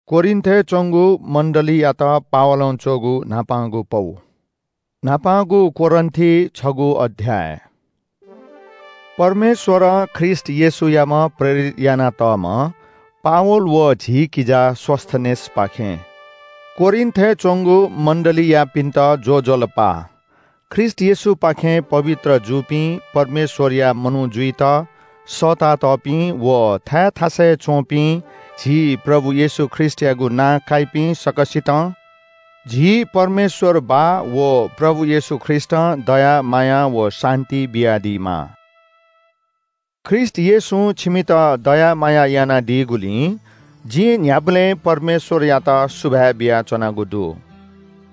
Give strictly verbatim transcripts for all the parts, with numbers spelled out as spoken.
कोरिन्थय् च्वंगु मण्डलीयात पावलं च्वःगु न्हापांगु पौ। न्हापांगु कोरिन्थी छगू अध्याय। परमेश्वरं ख्रीष्ट येशूयाम्ह प्रेरित यानातःम्ह पावल व झी किजा सोस्‍थनेसपाखें कोरिन्थय् च्वंगु मण्डलीयापिन्‍त ज्‍वजलपा। ख्रीष्ट येशूपाखें पवित्र जूपिं, परमेश्‍वरया मनू जुइत सःतातःपिं व थाय् थासय् च्‍वंपिं झी प्रभु येशू ख्रीष्‍टयागु नां काइपिं सकसितं झी परमेश्‍वर बाः व प्रभु येशू ख्रीष्‍टं दया माया व शान्‍ति बियादीमा। ख्रीष्‍ट येशूं छिमित दया माया यानादीगुलिं जिं न्‍ह्याबलें परमेश्‍वरयात सुभाय् बियाच्‍वनागु दु।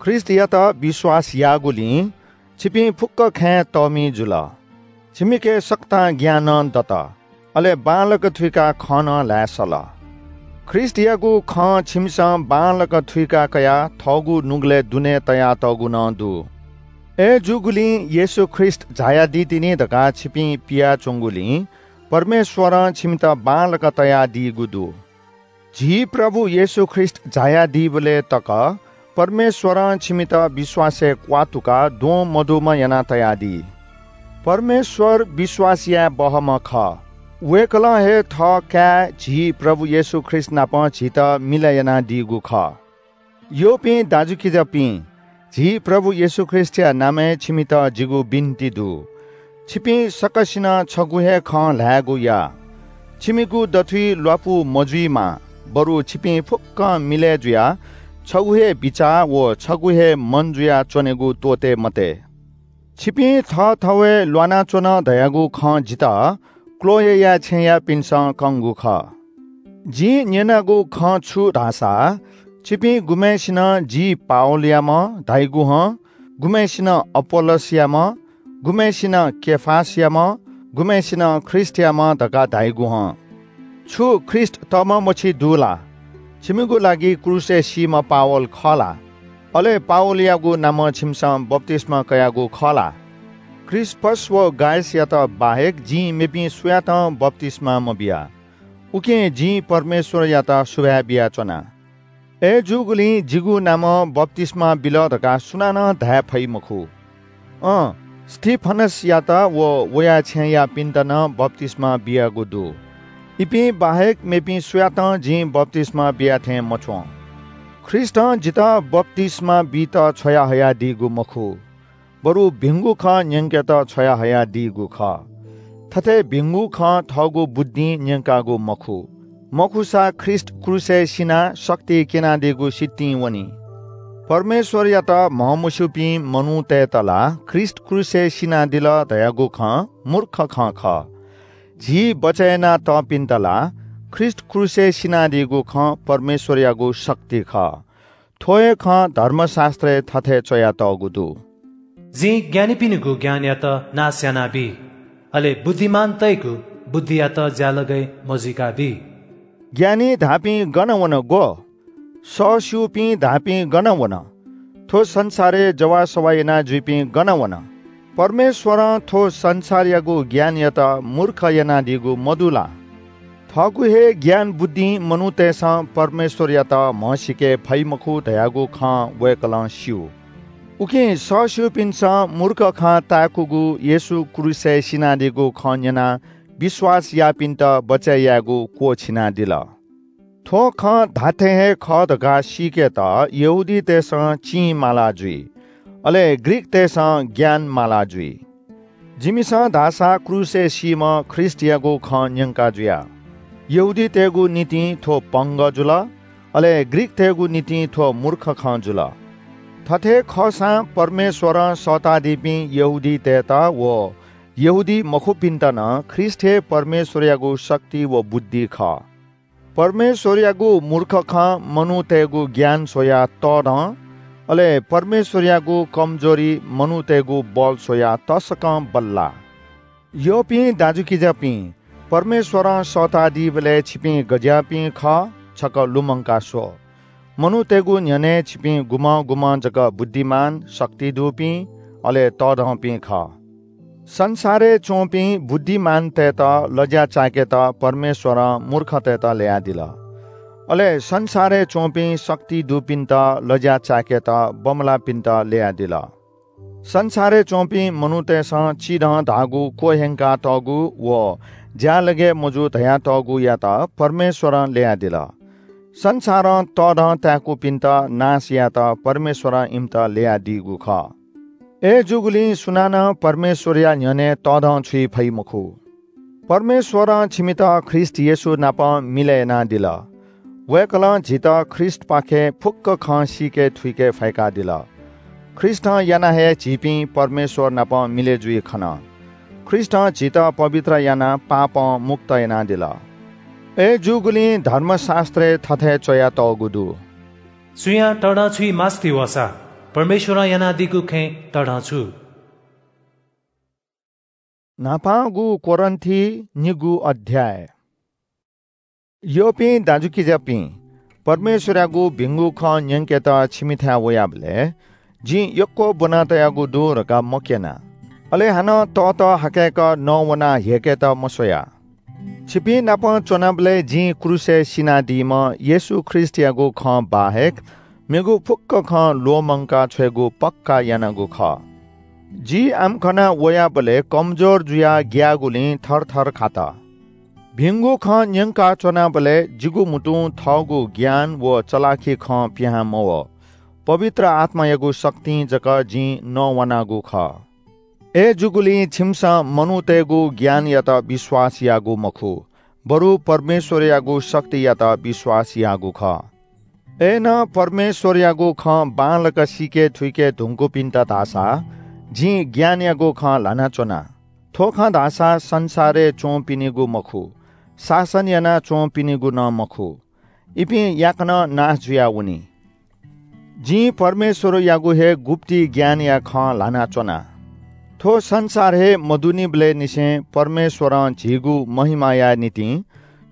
ख्रीष्‍टयात विश्‍वास याःगुलिं छिपिं फुक्‍क खँय् तःमि जुल। छिमिके सकतां ज्ञानं दत, अले बांलाक थुइकाः खँ नं ल्‍हाये सल। ख्रीष्‍टयागु खँ छिमिसं बांलाक थुइका कयाः थःगु नुगलय् दुने तयातःगु नं दु। अय्‌जूगुलिं येशू ख्रीष्‍ट झायादी तिनि धकाः छिपिं पियाच्‍वंगुलिं परमेश्‍वरं छिमित बांलाक तयादीगु दु। झी प्रभु येशू ख्रीष्‍ट झायादीबलय् तक परमेश्‍वरं छिमित विश्‍वासय् क्‍वात्तुकाः द्वं मदुम्‍ह याना तयादी। परमेश्‍वर विश्‍वास याये बहःम्‍ह खः। वय्‌कलं हे थः काय् झी प्रभु येशू ख्रीष्‍ट नाप झीत मिलय् यानादीगु खः। यःपिं दाजुकिजापिं, झी प्रभु येशू ख्रीष्‍टया नामय् छिमित जिगु बिन्‍ति दु। छिपिं सकसिनं छगू हे खँ ल्‍हायेगु या। छिमिगु दथुइ ल्‍वापु मजुइमा, बरु छिपिं फुक्‍कं मिलय् जुयाः छगू हे बिचाः व छगू हे मन जुयाः च्‍वनेगु त्‍वःते मते। छिपिं थःथवय् ल्‍वानाच्‍वन धयागु खँ जितः क्‍लोएया छेँयापिन्‍सं कंगु खः। जिं न्‍यनागु खँ छु धाःसा, छिपिं गुम्‍हय्‌सिनं जि पावलयाम्‍ह धाइगु हं, गुम्‍हय्‌सिनं अपोल्‍लोसयाम्‍ह, गुम्‍हय्‌सिनं केफासयाम्‍ह, गुम्‍हय्‌सिनं ख्रीष्‍टयाम्‍ह धकाः धाइगु हं। छु ख्रीष्‍ट तःम्‍ह मछि दु ला? छिमिगु लागि क्रूसय् सीम्‍ह पावल खः ला? अले पावलयागु नामं छिमिसं बप्‍तिस्‍मा कयागु खः ला? क्रिस्‍पस व गायसयात बाहेक जिं मेपिं सुयातं बप्‍तिस्‍मा मबिया। उकिं जिं परमेश्‍वरयात सुभाय् बियाच्‍वना। अय्‌जूगुलिं जिगु नामं बप्‍तिस्‍मा बिल धकाः सुनानं धाये फइ मखु। अँ, स्‍तिफनसयात व वया छेँयापिन्‍त नं बप्‍तिस्‍मा बियागु दु। इपिं बाहेक मेपिं सुयातं जिं बप्‍तिस्‍मा बिया थें मच्‍वं। ख्रीष्‍टं जितः बप्‍तिस्‍मा बीत छ्वयाहयादीगु मखु, बरु भिंगु खँ न्‍यंकेत छ्वयाहयादीगु खः। थथे भिंगु खँ थःगु बुद्धिं न्‍यंकागु मखु, मखुसा ख्रीष्‍ट क्रूसय् सिनाः शक्ति क्‍यनादीगु सितिं वनी। परमेश्‍वरयात म्हमस्‍यूपिं मनूतय्‌त ला ख्रीष्‍ट क्रूसय् सिनादिल धयागु खँ मूर्ख खँ खः। झी बचय् यानातःपिन्‍त ला ख्रीष्‍ट क्रूसय् सिनादीगु खँ परमेश्‍वरयागु शक्ति खः। थ्‍व हे खँ धर्मशास्‍त्रय् थथे च्‍वयातःगु दु, "जिं ज्ञानीपिनिगु ज्ञानयात नाश यानाबी, अले बुद्धिमानतय्‌गु बुद्धियात ज्‍यालगय् मजुइकाबी।" ज्ञानी धाःपिं गन वन ग्‍व? सःस्‍यूपिं धाःपिं गन वन? थ्‍व संसारय् जवाःसवाः याना जुइपिं गन वन? परमेश्‍वरं थ्‍व संसारयागु ज्ञानयात मूर्ख यानादीगु मदु ला? थःगु हे ज्ञान बुद्धिं मनूतय्‌सं परमेश्‍वरयात म्हसीके फइ मखु धयागु खँ वय्‌कलं स्‍यू। उकिं सःस्‍यूपिन्‍सं मूर्ख खँ ताय्‌कूगु येशू क्रूसय् सिनादीगु खँ न्‍यनाः विश्‍वास याःपिन्‍त बचय् यायेगु क्‍वःछिनादिल। थ्‍व खँ धात्‍थें हे खः धकाः सीकेत यहूदीतय्‌सं चिं माला जुइ, अले ग्रीकतय्‌सं ज्ञान माला जुइ। जिमिसं धाःसा क्रूसय् सीम्‍ह ख्रीष्‍टयागु खँ न्‍यंका जुया। यहूदीतय्‌गु निंतिं थ्‍व पंगः जुल, अले ग्रीकतय्‌गु निंतिं थ्‍व मूर्ख खँ जुल। थथे खःसां परमेश्‍वरं सःतादीपिं यहूदीतय्‌त व यहूदी मखुपिन्‍त नं ख्रीष्‍ट हे परमेश्‍वरयागु शक्ति व बुद्धि खः। परमेश्‍वरयागु मूर्ख खँ मनूतय्‌गु ज्ञान स्‍वयाः तःधं, अले परमेश्‍वरयागु कमजोरी मनूतय्‌गु बल स्‍वयाः तसकं बल्‍लाः। यःपिं दाजुकिजापिं, परमेश्‍वरं सःतादीबलय् छिपिं गज्‍याःपिं खः, छकः लुमंका स्‍व। मनूतय्‌गु न्‍ह्यःने छिपिं गुम्‍हं गुम्‍हं जक बुद्धिमान, शक्ति दुपिं, अले तःधंपिं खः। संसारय् च्‍वंपिं बुद्धिमानतय्‌त लज्‍या चाय्‌केत परमेश्‍वरं मूर्खतय्‌त ल्‍ययादिल। अले संसारय् च्वंपिं शक्ति दुपिन्त लज्या चाय्‌केत बमलाःपिन्त ल्ययादिल। संसारय् च्वंपिं मनूतय्‌सं चिधं धाःगु क्वह्यंकातःगु व ज्यालगय् मजू धयातःगुयात परमेश्वरं ल्ययादिल। संसारं तःधं ताय्‌कूपिन्त नाश यायेत परमेश्वरं इमित ल्ययादीगु खः। अय्‌जूगुलिं सुनानं परमेश्वरया न्ह्यःने तःधं छुइ फइ मखु। परमेश्वरं छिमित ख्रीष्ट येशू नाप मिलय् यानादिल। वय्‌कलं झीत ख्रीष्टपाखें फुक्क खँ सीके थुइके फय्‌कादिल। ख्रीष्टं यानाः हे झीपिं परमेश्वर नाप मिलय् जुइ खन। ख्रीष्टं झीत पवित्र यानाः पापं मुक्त यानादिल। अय्‌जूगुलिं धर्मशास्त्रय् थथे च्वयातःगु दु। सुयां तःधं छुइ मास्ति वःसा परमेश्वरं यानादीगु खँय् तःधं छु। न्हापांगु कोरिन्थी निगू अध्याय। यःपिं दाजुकिजापिं, परमेश्वरयागु भिंगु खँ न्यंकेत छिमिथाय् वयाबलय् जिं यक्व ब्वना तयागु दु धकाः मक्यना। अले हानं तःतः हाकय्‌क नवानाः ह्यय्‌केत मस्वया। छिपिं नाप च्वनाबलय् जिं क्रूसय् सिनादीम्ह येशू ख्रीष्टयागु खँ बाहेक मेगु फुक्क खँ ल्वःमंका छ्वयेगु पक्का यानागु खः। जि आम्‍कना वयाबलय् कमजोर जुयाः ग्‍याःगुलिं थरथर खात। भिंगु खँ न्‍यंका च्‍वनाबलय् जिगु म्‍हुतुं थःगु ज्ञान व चलाखि खँ पिहां मवः। पवित्र आत्‍मायागु शक्तिं जक जिं नवानागु खः। अय्‌जूगुलिं छिमिसं मनूतय्‌गु ज्ञानयात विश्‍वास याःगु मखु, बरु परमेश्‍वरयागु शक्तियात विश्‍वास याःगु खः। अय्‌नं परमेश्‍वरयागु खँ बांलाक सीके थुइके धुंकूपिन्‍त धाःसा जिं ज्ञानयागु खँ ल्‍हानाच्‍वना। थ्‍व खँ धाःसा संसारय् च्‍वंपिनिगु मखु, शासन यानाच्‍वंपिनिगु नं मखु। इपिं याकनं नाश जुयावनी। जिं परमेश्‍वरयागु हे गुप्‍ति ज्ञानया खँ ल्‍हानाच्‍वना। थ्‍व संसार हे मदुनिबलय् निसें परमेश्‍वरं झीगु महिमाया निंतिं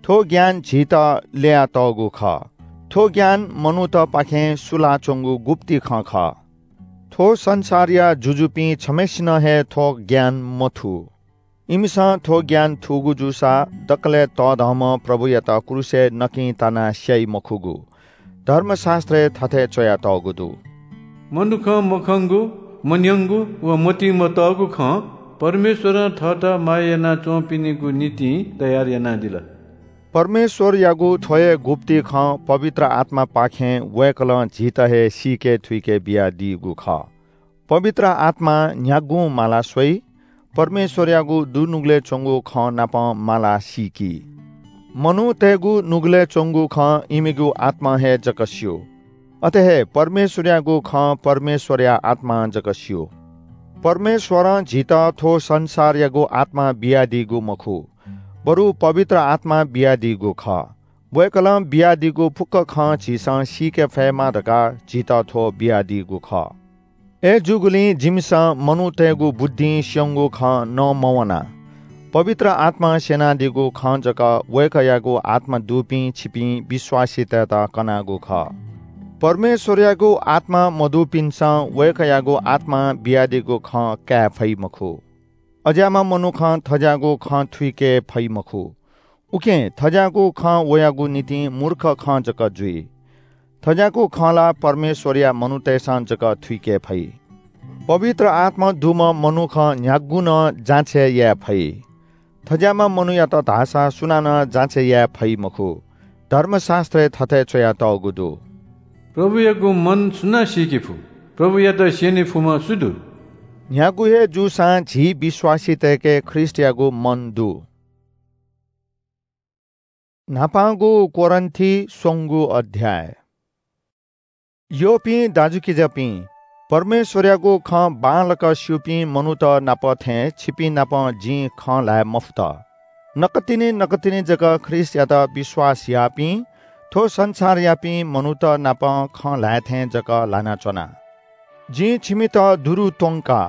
थ्‍व ज्ञान झीत ल्‍ययातःगु खः। थ्‍व ज्ञान मनूतपाखें सुलाच्‍वंगु गुप्‍ति खँ खः। थ्‍व संसारया जुजुपिं छम्‍हय्‌सिनं हे थ्‍व ज्ञान मथू। इमिसं थ्‍व ज्ञान थूगु जूसा दकलय् तःधंम्‍ह प्रभुयात क्रूसय् नकिं तानाः स्‍याइ मखुगु। धर्मशास्‍त्रय् थथे च्‍वयातःगु दु। मनुखं मखंगु, मन्‍यंगु व मतिइ मतःगु खँ परमेश्‍वरं थःत माया यानाच्‍वंपिनिगु निंतिं तयार यानादिल। परमेश्‍वरयागु थ्‍व हे गुप्‍ति खँ पवित्र आत्‍मापाखें वय्‌कलं झीत हे सीके थुइके बियादीगु खः। पवित्र आत्‍मां न्‍ह्यागुं माला स्‍वइ, परमेश्‍वरयागु दुनुगलय् च्‍वंगु खँ नाप माला सीकी। मनूतय्‌गु नुगलय् च्‍वंगु खँ इमिगु आत्‍मां हे जक स्‍यू। अथे हे परमेश्‍वरयागु खँ परमेश्‍वरया आत्‍मां जक स्‍यू। परमेश्‍वरं झीत थ्‍व संसारयागु आत्‍मा बियादीगु मखु, बरु पवित्र आत्‍मा बियादीगु खः। वय्‌कलं बियादीगु फुक्‍क खँ झीसं सीके फयेमा धकाः झीत थ्‍व बियादीगु खः। अय्‌जूगुलिं जिमिसं मनूतय्‌गु बुद्धिं स्‍यंगु खँ नमवाना। पवित्र आत्‍मां स्‍यनादीगु खँ जक वय्‌कःयागु आत्‍मा दुपिं छिपिं विश्‍वासीतय्‌त कनागु खः। परमेश्‍वरयागु आत्‍मा मदुपिन्‍सं वय्‌कःयागु आत्‍मां बियादीगु खँ काये फइ मखु। अज्‍याःम्‍ह मनुखं थज्‍याःगु खँ थुइके फइ मखु। उकिं थज्‍याःगु खँ वयागु निंतिं मूर्ख खँ जक जुइ। थज्‍याःगु खँ ला परमेश्‍वरया मनूतय्‌सं जक थुइके फइ। पवित्र आत्‍मा दुम्‍ह मनुखं न्‍ह्यागुं नं जाँचय् याये फइ। थज्‍याःम्‍ह मनूयात धाःसा सुनानं जाँचय् याये फइ मखु। धर्मशास्‍त्रय् थथे च्‍वयातःगु दु, प्रभुयागु मन सुनां सीके फु? प्रभुयात स्‍यने फुम्‍ह सु दु? न्‍ह्यागु हे जूसां झी विश्‍वासीतय्‌के ख्रीष्‍टयागु मन दु। न्‍हापांगु कोरिन्‍थी स्वंगू अध्‍याय। यःपिं दाजुकिजापिं, परमेश्‍वरयागु खँ बांलाक स्‍यूपिं मनूत नाप थें छिपिं नाप जिं खँ ल्‍हाये मफुत। नकतिनि नकतिनि जक ख्रीष्‍टयात विश्‍वास याःपिं थ्‍व संसारयापिं मनूत नाप खँ ल्‍हाये थें जक ल्‍हानाच्‍वना। जिं छिमित दुरु त्‍वंका,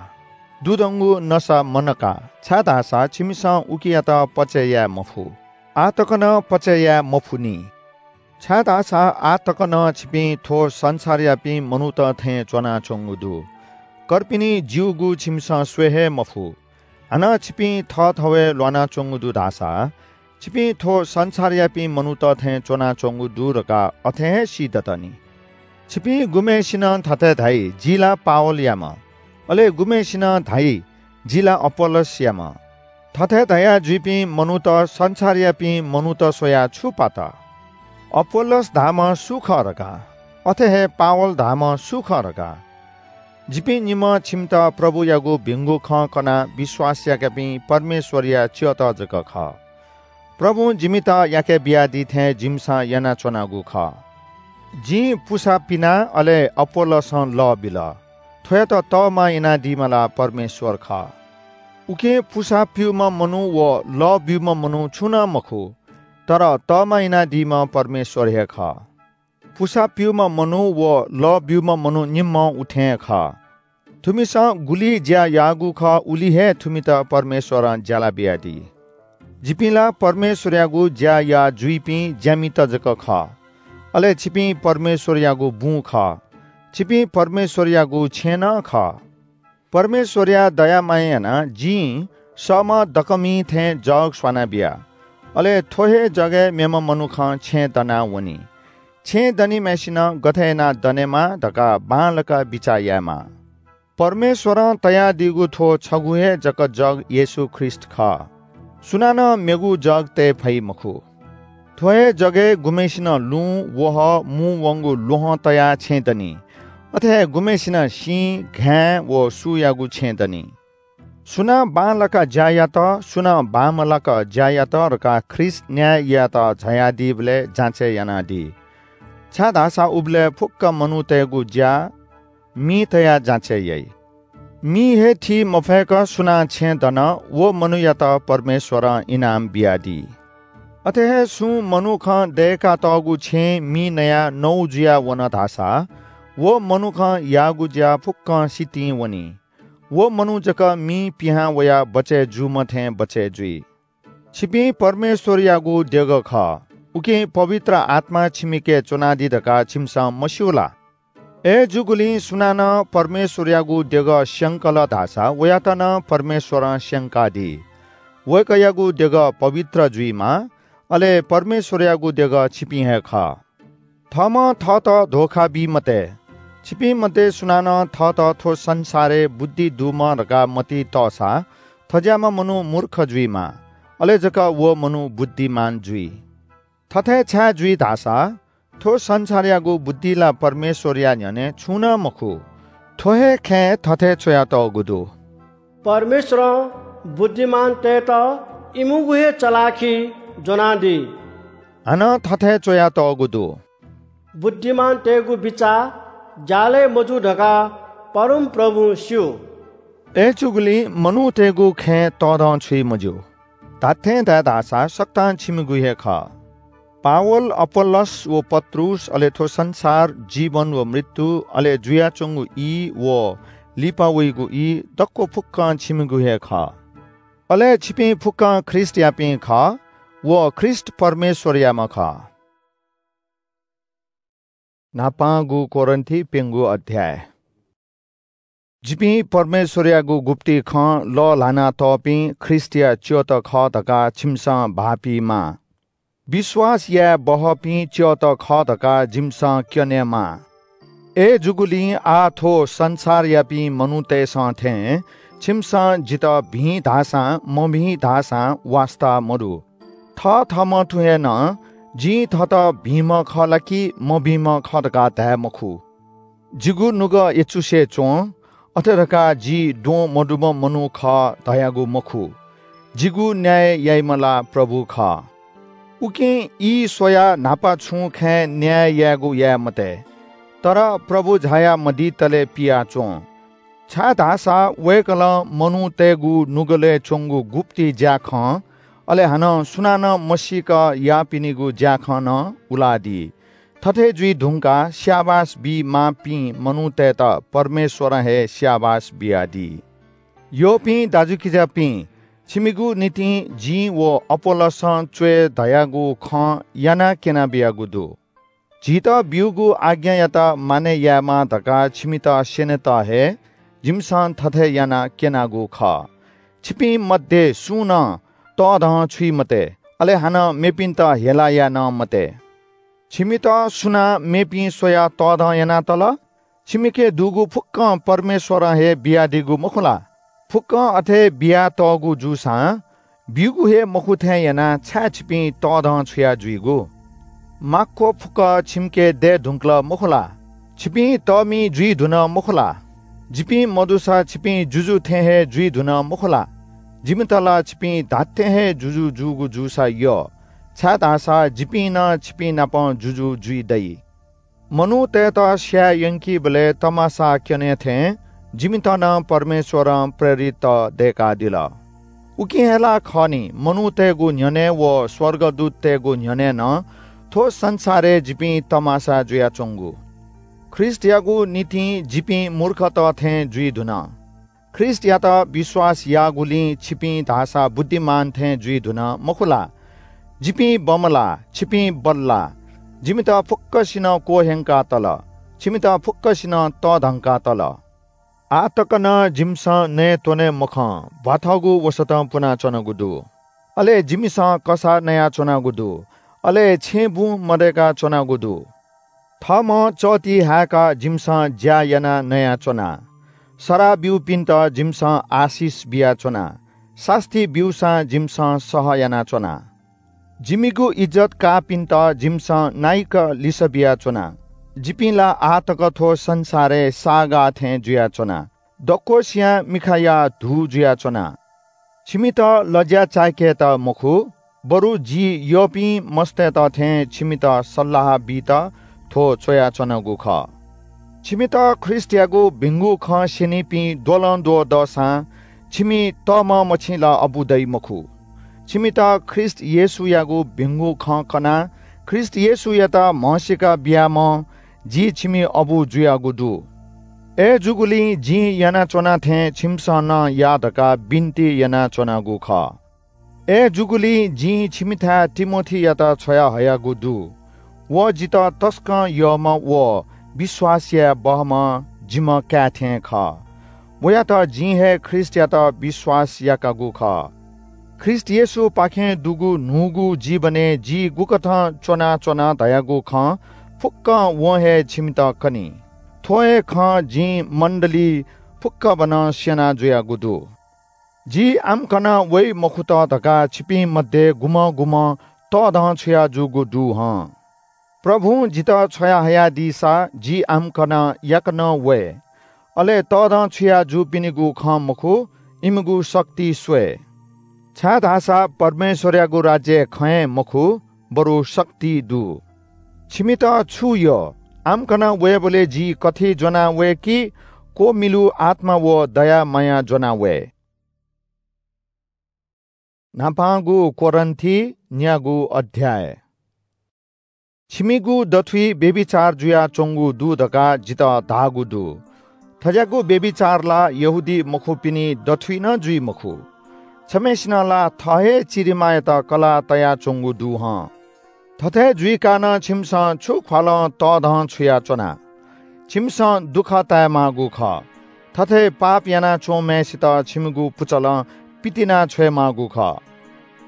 दुधंगु नसा मनका, छाय्‌धाःसा छिमिसं उकियात पचय् याये मफु। आः तक नं पचय् याये मफुनि। छाय्‌धाःसा आः तक नं छिपिं थ्‍व संसारयापिं मनूत थें च्‍वनाच्‍वंगु दु। कर्पिनि ज्‍यूगु छिमिसं स्वये हे मफु। हानं छिपिं थःथवय् ल्‍वानाच्‍वंगु दु धाःसा छिपिं थ्व संसारयापिं मनूत थें च्वनाच्वंगु दु धकाः अथे हे सीदत नि। छिपिं गुम्हय्‌सिनं थथे धाइ, "जि ला पावलयाम्ह।" अले गुम्हय्‌सिनं धाइ, "जि ला अपोल्लोसयाम्ह।" थथे धया जुइपिं मनूत संसारयापिं मनूत स्वयाः छु पात? अपोल्लोस धाःम्ह सु खः धकाः? अथे हे पावल धाःम्ह सु खः धकाः? जिपिं निम्ह छिमित प्रभुयागु भिंगु खँ कनाः विश्वास याकापिं परमेश्वरया च्यःत जक खः। प्रभुं जिमित याके बियादी थें जिमिसं यानाच्वनागु खः। जिं पुसा पिना, अले अपोल्लोसं लः बिल। थ्वयात तःमा यानादीम्ह ला परमेश्वर खः। उकिं पुसा प्यूम्ह मनू व लः ब्यूम्ह मनू छुं नं मखु, तर तःमा यानादीम्ह परमेश्वर हे खः। पुसा प्यूम्ह मनू व लः ब्यूम्ह मनू निम्हं उथें हे खः। थुमिसं गुलि ज्या याःगु खः, उलि हे थुमित परमेश्वरं ज्याला बियादी। जिपिं ला परमेश्वरयागु ज्या याः जुइपिं ज्यामित जक खः, अले छिपिं परमेश्वरयागु बुँ खः। छिपिं परमेश्वरयागु छेँ नं खः। परमेश्वरया दया माया यानाः जिं सःम्ह दकःमि थें जग स्वानाबिया। अले थ्व हे जगय् मेम्ह मनुखं छेँ दनाः वनी। छेँ दनिम्हय्‌सिनं गथे यानाः दनेमाः धकाः बांलाक बिचाः यायेमाः। परमेश्वरं तयादीगु थ्व छगू हे जक जग येशू ख्रीष्ट खः। सुनानं मेगु जग तये फइ मखु। थ्व हे जगय् गुम्हय्‌सिनं लुँ, वहः, मू वंगु ल्वहं तयाः छेँ दनि। अथे हे गुम्हय्‌सिनं सिँ, घाँय् व सूयागु छेँ दनि। सुनां बांलाक ज्या यात, सुनां बांमलाक ज्या यात धकाः ख्रीष्ट न्याय यायेत झायादीबलय् जाँचय् यानादी। छाय्‌धाःसा उबलय् फुक्क मनूतय्‌गु ज्या मि तयाः जाँचय् याइ। मि हे थी मफय्‌क सुनां छेँ दन, व मनूयात परमेश्वरं इनाम बियादी। अथे हे सुं मनुखं दय्‌कातःगु छेँय् मि नयाः नौ जुयाः वन धाःसा, व मनुखं याःगु ज्या फुक्कं सितिं वनी। व मनू जक मिं पिहां वयाः बचय् जूम्ह थें बचय् जुइ। छिपिं परमेश्वरयागु देगः खः, उकिं पवित्र आत्मा छिमिके च्वनादी धकाः छिमिसं मस्यू ला? अय्‌जूगुलिं सुनानं परमेश्वरयागु देगः स्यंकल धाःसा वयात नं परमेश्वरं स्यंकादी। वय्‌कःयागु देगः पवित्र जुइमाः, अले परमेश्वरयागु देगः छिपिं हे खः। थःम्हं थःत धोखा बी मते। छिपिं मध्ये सुनानं थःत थ्व संसारय् बुद्धि दुम्ह धकाः मतिइ तःसा थज्याःम्ह मनू मूर्ख जुइमाः, अले जक व मनू बुद्धिमान जुइ। थथे छाय् जुइ धाःसा थ्व संसारयागु बुद्धि ला परमेश्वरया न्ह्यःने छुं नं मखु। थ्व हे खँय् थथे च्वयातःगु दु, परमेश्वरं बुद्धिमानतय्‌त इमिगु हे चलाखि ज्वनादी। हानं थथे च्वयातःगु दु, बुद्धिमानतय्‌गु बिचाः ज्यालय् मजू धकाः परमप्रभुं स्यू। अय्‌जूगुलिं मनूतय्‌गु खँय् तःधंछुइ मज्यू। धात्थें धाये धाःसा सकतां छिमिगु हे खः। पावल, अपोल्लोस व पत्रुस, अले थ्व संसार, जीवन व मृत्यु, अले जुयाच्वंगु ई व लिपा वइगु ई, दक्व फुक्कं छिमिगु हे खः। अले छिपिं फुक्कं ख्रीष्टयापिं खः व ख्रीष्ट परमेश्वरयाम्ह खः। न्हापांगु कोरिन्थीपिंगु अध्याय। जिपिं परमेश्वरयागु गुप्ति खँ लःल्हानातःपिं ख्रीष्टया च्यःत खः धकाः छिमिसं भाःपीमाः। विश्वास याये बहःपिं च्यःत खः धकाः जिमिसं क्यनेमाः। अय्‌जूगुलिं आः थ्व संसारयापिं मनूतय्‌सं थें छिमिसं जितः भिं धाःसां मभिं धाःसां वास्ता मदु। थःथःम्हं तुं हे नं जिं थःत भिंम्ह खः ला कि मभिंम्ह खः धकाः धाये मखु। जिगु नुगः यचुसे च्वं, अथे धकाः जि द्वं मदुम्ह मनू खः धयागु मखु। जिगु न्याय याइम्ह ला प्रभु खः। उकिं ई स्वयाः न्हापा छुं खँय् न्याय यायेगु याये मते, तर प्रभु झायामदीतले पियाच्वं। छाय्‌धाःसा वय्‌कलं मनूतय्‌गु नुगलय् च्वंगु गुप्ति ज्‍याखँ, अले हानं सुनानं मसीक याःपिनिगु ज्‍याखँ नं उलादी। थथे जुइ धुंकाः स्‍याबास बी माःपिं मनूतय्‌त परमेश्‍वरं हे स्‍याबास बियादी। यःपिं दाजुकिजापिं, छिमिगु निंतिं जिं व अपोल्‍लोसं च्‍वये धयागु खँ यानाः क्‍यनाबियागु दु। झीत ब्‍यूगु आज्ञायात मानय् यायेमाः धकाः छिमित स्‍यनेत हे जिमिसं थथे यानाः क्‍यनागु खः। छिपिं मध्ये सुं नं तःधं छुइ मते, अले हानं मेपिन्त हेला याये नं मते। छिमित सुनां मेपिं स्‍वयाः तःधं यानातल? छिमिके दुगु फुक्‍कं परमेश्‍वरं हे बियादीगु मखु ला? फुक्‍कं अथे बियातःगु जूसां ब्‍यूगु हे मखु थें यानाः छाय् छिपिं तःधं छुया जुइगु? माक्‍व फुक्‍क छिमिके दये धुंकल मखु ला? छिपिं तःमि जुइ धुन मखु ला? जिपिं मदुसा छिपिं जुजु थें हे जुइ धुन मखु ला? जिमित ला छिपिं धात्‍थें हे जुजु जूगु जूसा यः, छाय्‌धाःसा जिपिं नं छिपिं नाप जुजु जुइ दइ। मनूतय्‌त स्‍याये यंकीबलय् तमासा क्‍यने थें जिमित नं परमेश्‍वरं प्रेरितत दय्‌कादिल। उकिं हे ला खः नि, मनूतय्‌गु न्‍ह्यःने व स्‍वर्गदूततय्‌गु न्‍ह्यःने नं थ्‍व संसारय् जिपिं तमासा जुयाच्‍वंगु। ख्रीष्‍टयागु निंतिं जिपिं मूर्खत थें जुइ धुन। ख्रीष्‍टयात विश्‍वास याःगुलिं छिपिं धाःसा बुद्धिमान थें जुइ धुन मखु ला? जिपिं बमलाः, छिपिं बल्‍लाः। जिमित फुक्‍कसिनं क्‍वह्यंका तल, छिमित फुक्‍कसिनं तःधंका तल। आः तक नं जिमिसं नये त्‍वने मखं, भ्‍वाथःगु वसतं पुनाच्‍वनागु दु। अले जिमिसं कसाः नयाच्‍वनागु दु, अले छेँबुँ मदय्‌का च्‍वनागु दु। थःम्‍हं चःति हाय्‌काः जिमिसं ज्‍या यानाः नयाच्‍वना। सराः ब्‍यूपिन्‍त जिमिसं आशिष बियाच्‍वना। सास्‍ती ब्‍यूसां जिमिसं सह यानाच्‍वना। जिमिगु इज्‍जत काःपिन्‍त जिमिसं नाइक लिसः बियाच्‍वना। जिपिं ला आः तक थ्‍व संसारय् साःगाः थें जुयाच्‍वना। दक्‍वसियां मिखाया धू जुयाच्‍वना। छिमित लज्‍या चाय्‌केत मखु, बरु जि यःपिं मस्तय्‌त थें छिमित सल्‍लाह बीत थ्‍व च्‍वयाच्‍वनागु खः। छिमित ख्रीष्‍टयागु भिंगु खँ स्‍यनीपिं द्वलंद्वः दःसां छिमि तःम्‍ह मछि ला अबु दइ मखु। छिमित ख्रीष्‍ट येशूयागु भिंगु खँ कनाः ख्रीष्‍ट येशूयात म्हसीका बियाम्‍ह जि छिमि अबु जुयागु दु। अय्‌जूगुलिं जिं यानाच्‍वना थें छिमिसं नं या धकाः बिन्‍ति यानाच्‍वनागु खः। अय्‌जूगुलिं जिं छिमिथाय् तिमोथीयात छ्वयाहयागु दु। व जितः तसकं यःम्‍ह व विश्‍वास याये बहःम्‍ह जिम्‍ह काय् थें खः। वयात जिं हे ख्रीष्‍टयात विश्‍वास याकागु खः। ख्रीष्‍ट येशूपाखें दुगु न्‍हूगु जीवनय् जि गुकथं च्‍वनाच्‍वना धयागु खँ फुक्‍कं वं हे छिमित कनी। थ्‍व हे खँ जिं मण्‍डली फुक्‍कभनं स्‍यना जुयागु दु। जि आम्‍कन वइ मखुत धकाः छिपिं मध्ये गुम्‍हं गुम्‍हं तःधं छुया जूगु दु हं। प्रभुं जितः छ्वयाहयादीसा जि आम्‍कन याकनं वये। अले तःधं छुया जूपिनिगु खँ मखु, इमिगु शक्ति स्वये। छाय्‌धाःसा परमेश्‍वरयागु राज्‍यय् खँ हे मखु, बरु शक्ति दु। छिमित छु यः? आम्‍कन वयेबलय् जि कथि ज्‍वना वये कि क्‍वमिलु आत्‍मा व दया माया ज्‍वना वये? न्‍हापांगु कोरिन्‍थी न्‍यागू अध्‍याय। छिमिगु दथुइ व्‍यभिचार जुयाच्‍वंगु दु धकाः जितः धाःगु दु। थज्‍याःगु व्‍यभिचार ला यहूदी मखुपिनि दथुइ नं जुइ मखु। छम्‍हय्‌सिनं ला थः हे चिरिमायात कलाः तयाच्‍वंगु दु हं। थथे जुइकाः नं छिमिसं छु ख्‍वालं तःधं छुयाच्‍वना? छिमिसं दुःख तायेमाःगु खः। थथे पाप यानाच्‍वंम्‍हय्‌सित छिमिगु पुचलं पितिना छ्वयेमाःगु खः।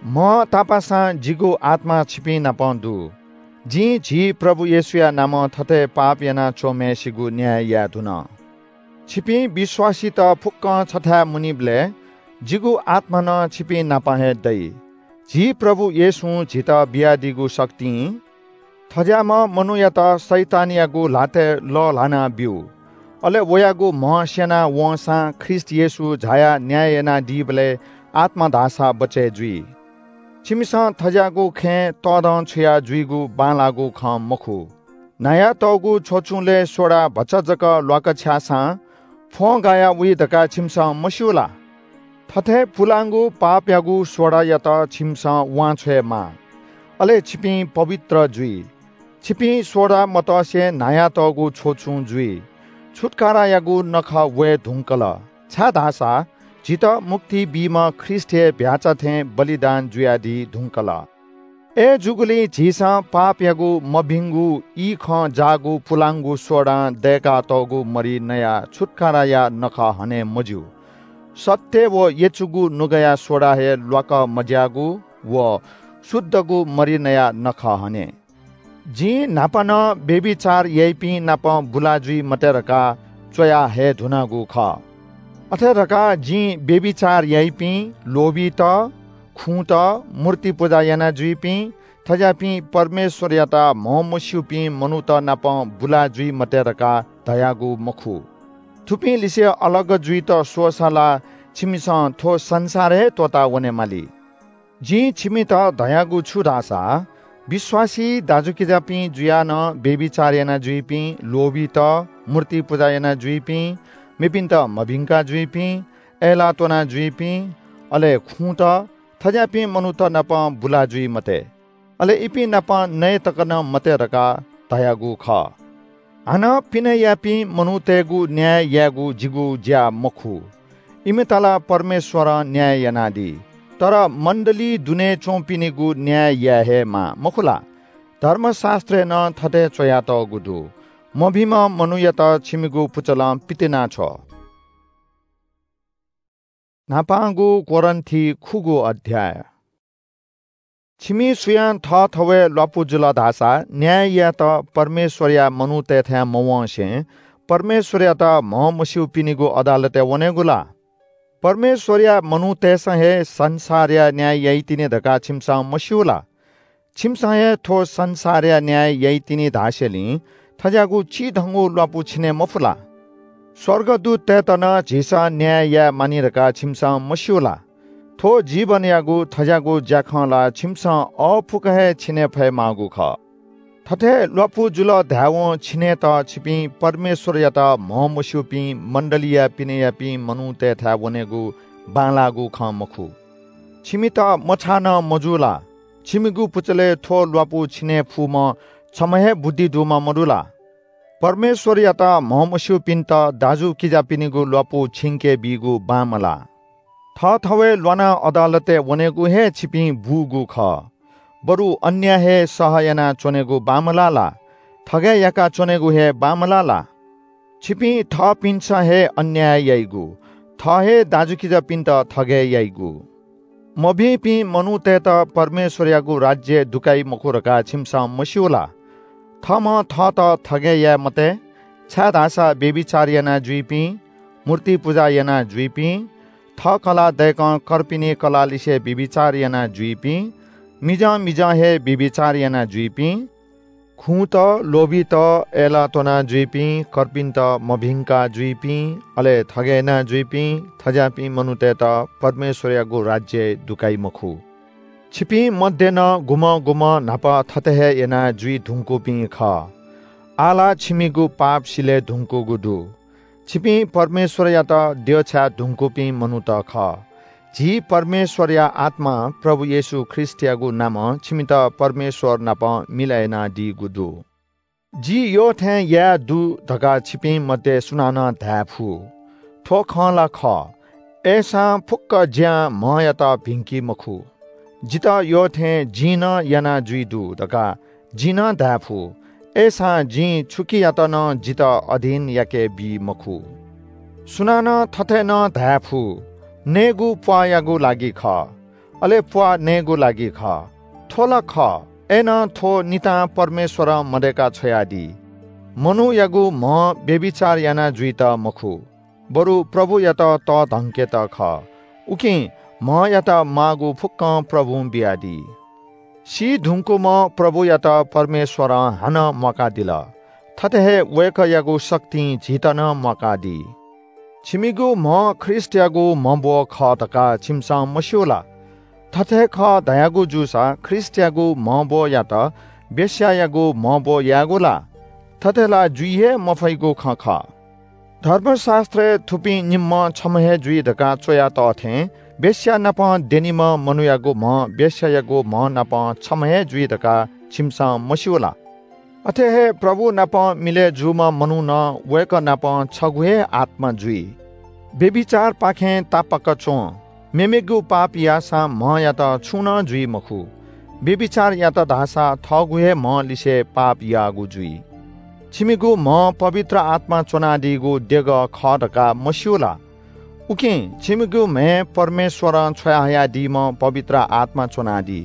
म्‍ह तापासां जिगु आत्‍मा छिपिं नाप दु। जिं झी प्रभु येशूया नामं थथे पाप यानाच्‍वंम्‍हय्‌सिगु न्‍याय याये धुन। छिपिं विश्‍वासीत फुक्‍कं छथाय् मुनीबलय् जिगु आत्‍मा नं छिपिं नाप हे दइ। झी प्रभु येशूं झीत बियादीगु शक्तिं थज्‍याःम्‍ह मनूयात शैतानयागु ल्‍हातय् लःल्‍हाना ब्‍यु। अले वयागु म्‍ह स्‍यना वंसां ख्रीष्‍ट येशू झायाः न्‍याय यानादीबलय् आत्‍मा धाःसा बचय् जुइ। छिमिसं थज्‍याःगु खँय् तःधं छुया जुइगु बांलाःगु खँ मखु। न्‍हायातःगु छ्वचुंलय् सोडा भचा जक ल्‍वाकछ्याःसां फ्‍वं गायाः वइ धकाः छिमिसं मस्‍यू ला? थथे पुलांगु पापयागु सोडायात छिमिसं वांछ्वयेमाः, अले छिपिं पवित्र जुइ। छिपिं सोडा मतसे न्‍हायातःगु छ्वचुं जुइ। छुत्‍कारायागु नखः वये धुंकल, छाय्‌धाःसा झीत मुक्ति बीम्‍ह ख्रीष्‍ट हे भ्‍याःचा थें बलिदान जुयादी धुंकल। अय्‌जूगुलिं झीसं पापयागु मभिंगु ई खँ जाःगु पुलांगु सोडां दय्‌कातःगु मरि नयाः छुत्‍काराया नखः हने मज्‍यू। सत्‍य व यचुगु नुगःया सोडा हे ल्‍वाकः मज्‍याःगु व शुद्धगु मरि नयाः नखः हने। जिं न्हापा नं व्‍यभिचार याइपिं नाप बुला जुइ मते धकाः च्‍वया हये धुनागु खः। अथे धकाः जिं व्‍यभिचार याइपिं, लोभीत, खुँत, मूर्ति पुजा याना जुइपिं, थज्‍याःपिं परमेश्‍वरयात म्हमस्‍यूपिं मनूत नाप बुला जुइ मते धकाः धयागु मखु। थुपिं लिसे अलग जुइत स्‍वःसा ला छिमिसं थ्‍व संसार हे त्‍वःता वनेमाली। जिं छिमित धयागु छु धाःसा, विश्‍वासी दाजुकिजापिं जुयाः नं व्‍यभिचार याना जुइपिं, लोभीत, मूर्ति पुजा याना जुइपिं, मेपिन्‍त मभिंका जुइपिं, अय्‌लाः त्‍वना जुइपिं, अले खुँत, थज्‍याःपिं मनूत नाप बुला जुइ मते। अले इपिं नाप नये तक नं मते धकाः धयागु खः। हानं पिने याःपिं मनूतय्‌गु न्‍याय यायेगु जिगु ज्‍या मखु। इमित ला परमेश्‍वरं न्‍याय यानादी, तर मण्‍डली दुने च्‍वंपिनिगु न्‍याय याये हे माः, मखु ला? धर्मशास्‍त्रय् नं थथे च्‍वयातःगु दु, "मभिंम्‍ह मनूयात छिमिगु पुचलं पितिना छ्व।" न्‍हापांगु कोरिन्‍थी खुगू अध्‍याय। छिमि सुयां थःथवय् ल्‍वापु जुल धाःसा न्‍याय यायेत परमेश्‍वरया मनूतय्‌थाय् मवंसे परमेश्‍वरयात म्हमस्‍यूपिनिगु अदालतय् वनेगु ला? परमेश्‍वरया मनूतय्‌सं हे संसारया न्‍याय याइतिनि धकाः छिमिसं मस्‍यू ला? छिमिसं हे थ्‍व संसारया न्‍याय याइतिनि धासेंलि थज्‍याःगु चिधंगु ल्‍वापु छिने मफु ला? स्‍वर्गदूततय्‌त नं झीसं न्‍याय याये मानि धकाः छिमिसं मस्‍यू ला? थ्‍व जीवनयागु थज्‍याःगु ज्‍याखँ ला छिमिसं अःपुक हे छिने फयेमाःगु खः। थथे ल्‍वापु जुल धायेवं छिनेत छिपिं परमेश्‍वरयात म्हमस्‍यूपिं मण्‍डलीया पिने याःपिं मनूतय्‌थाय् वनेगु बांलाःगु खँ मखु। छिमित मछाः नं मजू ला? छिमिगु पुचलय् थ्‍व ल्‍वापु छिने फुम्‍ह छम्‍ह हे बुद्धि दुम्‍ह मदु ला? परमेश्‍वरयात म्हमस्‍यूपिन्‍त दाजुकिजापिनिगु ल्‍वापु छिंके बीगु बांमलाः। थःथवय् ल्‍वानाः अदालतय् वनेगु हे छिपिं बूगु खः। बरु अन्‍याय हे सह यानाच्‍वनेगु बांमलाः ला? थगय् याकाच्‍वनेगु हे बांमलाः ला? छिपिं थःपिन्‍सं हे अन्‍याय याइगु, थः हे दाजुकिजापिन्‍त थगय् याइगु। मभिंपिं मनूतय्‌त परमेश्‍वरयागु राज्‍यय् दुकाइ मखु धकाः छिमिसं मस्‍यू ला? थःम्‍हं थःत थगय् याये मते, छाय्‌धाःसा व्‍यभिचार याना जुइपिं, मूर्ति पुजा याना जुइपिं, थः कलाः दय्‌कं कर्पिनि कलाःलिसे व्‍यभिचार याना जुइपिं, मिजं मिजं हे व्‍यभिचार याना जुइपिं, खुँत, लोभीत, अय्‌लाः त्‍वना जुइपिं, कर्पिन्‍त मभिंका जुइपिं, अले थगय् याना जुइपिं, थज्‍याःपिं मनूतय्‌त परमेश्‍वरयागु राज्‍यय् दुकाइ मखु। छिपिं मध्ये नं गुम्‍हं गुम्‍हं न्‍हापा थथे हे याना जुइ धुंकूपिं खः। आः ला छिमिगु पाप सिले धुंकूगु दु। छिपिं परमेश्‍वरयात द्यःछाये धुंकूपिं मनूत खः। झी परमेश्‍वरया आत्‍मां प्रभु येशू ख्रीष्‍टयागु नामं छिमित परमेश्‍वर नाप मिलय् यानादीगु दु। जि यःथें याये दु धकाः छिपिं मध्ये सुनानं धाये फु। थ्‍व खँ ला खः, अय्‌सां फुक्‍क ज्‍यां म्‍हयात भिंकी मखु। जितः यःथें जिं नं याना जुइ दु धकाः जिं नं धाये फु, अय्‌सां जिं छुकियात नं जितः अधीन याके बी मखु। सुनानं थथे नं धाये फु, नयेगु प्‍वाःयागु लागि खः, अले प्‍वाः नयेगु लागि खः। थ्‍व ला खः, अय्‌नं थ्‍व नितां परमेश्‍वरं मदय्‌का छ्वयादी। मनूयागु म्‍ह व्‍यभिचार याना जुइत मखु, बरु प्रभुयात तःधंकेत खः। उकिं म्‍हयात माःगु फुक्‍कं प्रभुं बियादी। सी धुंकूम्‍ह प्रभुयात परमेश्‍वरं हानं म्‍वाकादिल। थथे हे वय्‌कःयागु शक्तिं झीत नं म्‍वाकादी। छिमिगु म्‍ह ख्रीष्‍टयागु म्‍हब्‍व खः धकाः छिमिसं मस्‍यू ला? थथे खः धयागु जूसा ख्रीष्‍टयागु म्‍हब्‍वयात वेश्‍यायागु म्‍हब्‍व यायेगु ला? थथे ला जुइ हे मफइगु खँ खः। धर्मशास्‍त्रय् थुपिं निम्‍हं छम्‍ह हे जुइ धकाः च्‍वयातः थें वेश्‍या नाप द्यनीम्‍ह मनूयागु म्‍ह वेश्‍यायागु म्‍ह नाप छम्‍ह हे जुइ धकाः छिमिसं मस्‍यू ला? अथे हे प्रभु नाप मिलय् जूम्‍ह मनू नं वय्‌कः नाप छगू हे आत्‍मा जुइ। व्‍यभिचारपाखें तापाक च्‍वँ। मेमेगु पाप याःसां म्‍हयात छुं नं जुइ मखु। व्‍यभिचार यात धाःसा थःगु हे म्‍ह लिसे पाप याःगु जुइ। छिमिगु म्‍ह पवित्र आत्‍मा च्‍वनादीगु देगः खः धकाः मस्‍यू ला? उकिं छिमिगु म्‍हय् परमेश्‍वरं छ्वयाहयादीम्‍ह पवित्र आत्‍मा च्‍वनादी।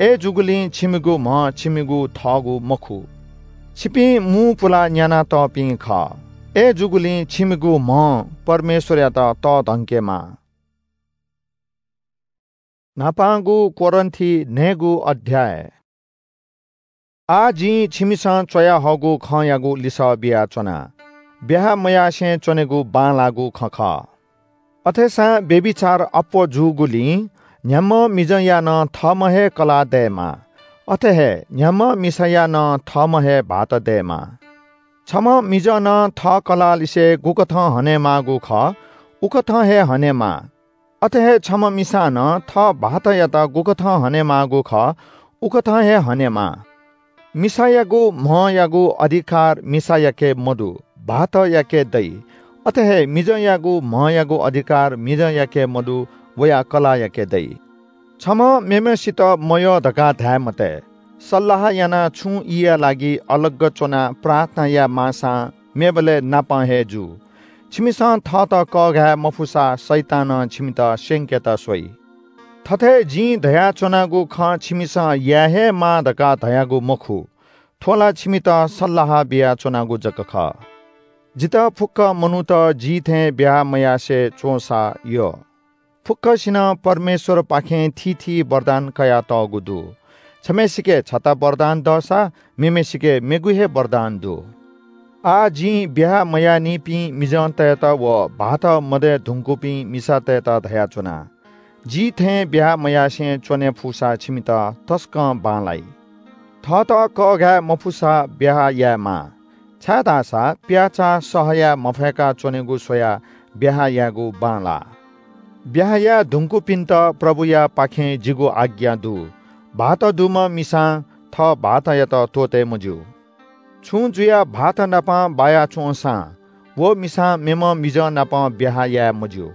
अय्‌जूगुलिं छिमिगु म्ह छिमिगु थःगु मखु। छिपिं मू पुलाः न्यानातःपिं खः। अय्‌जूगुलिं छिमिगु म्ह परमेश्वरयात तःधंकेमाः। न्हापांगु कोरिन्थी न्हय्‌गू अध्याय। आः जिं छिमिसं च्वयाहःगु खँयागु लिसः बियाच्वना। ब्याहा मयासें च्वनेगु बांलाःगु खँ खः। अथेसां व्‍यभिचार अप्‍वः जूगुलिं न्‍ह्याम्‍ह मिजंया नं थःम्‍ह हे कलाः दयेमाः। अथे हे न्‍ह्याम्‍ह मिसाया नं थःम्‍ह हे भाःत दयेमाः। छम्‍ह मिजं नं थः कलाःलिसे गुकथं हनेमाःगु खः, उकथं हे हनेमाः। अथे हे छम्‍ह मिसां नं थः भाःतयात गुकथं हनेमाःगु खः, उकथं हे हनेमाः। मिसायागु म्हयागु अधिकार मिसायाके मदु, भाःतयाके दइ। अथे हे मिजंयागु म्हयागु अधिकार मिजंयाके मदु, वया कलाःयाके दइ। छम्‍हं मेम्‍हय्‌सित मयः धकाः धाये मते। सल्‍लाह यानाः छुं ईया लागि अलग च्‍वनाः प्रार्थना याये माःसां मेबलय् नापं हे जू। छिमिसं थःत कःघाये मफुसा शैतानं छिमित स्‍यंकेत स्‍वइ। थथे जिं धयाच्‍वनागु खँ छिमिसं याये हे माः धकाः धयागु मखु। थ्‍व ला छिमित सल्‍लाह बियाच्‍वनागु जक खः। जितः फुक्‍क मनूत जि थें ब्‍याहा मयासें च्‍वंसा यः। फुक्‍कसिनं परमेश्‍वरपाखें थीथी वरदान कयातःगु दु। छम्‍हय्‌सिके छता वरदान दःसा मेम्‍हय्‌सिके मेगु हे वरदान दु। आः जिं ब्‍याहा मयाःनिपिं मिजंतय्‌त व भाःत मदये धुंकूपिं मिसातय्‌त धयाच्‍वना, जि थें ब्‍याहा मयासें च्‍वने फुसा छिमित तसकं बांलाइ। थःत कःघाये मफुसा ब्‍याहा यायेमाः, छाय्‌धाःसा प्‍याःचाः सह याये मफय्‌का च्‍वनेगु स्‍वयाः ब्‍याहा यायेगु बांलाः। ब्‍याहा याये धुंकूपिन्‍त प्रभुयापाखें जिगु आज्ञा दु, भाःत दुम्‍ह मिसां थः भाःतयात त्‍वःते मज्‍यू। छुं जुयाः भाःत नाप बाया च्‍वंसां व मिसां मेम्‍ह मिजं नाप ब्‍याहा याये मज्‍यू।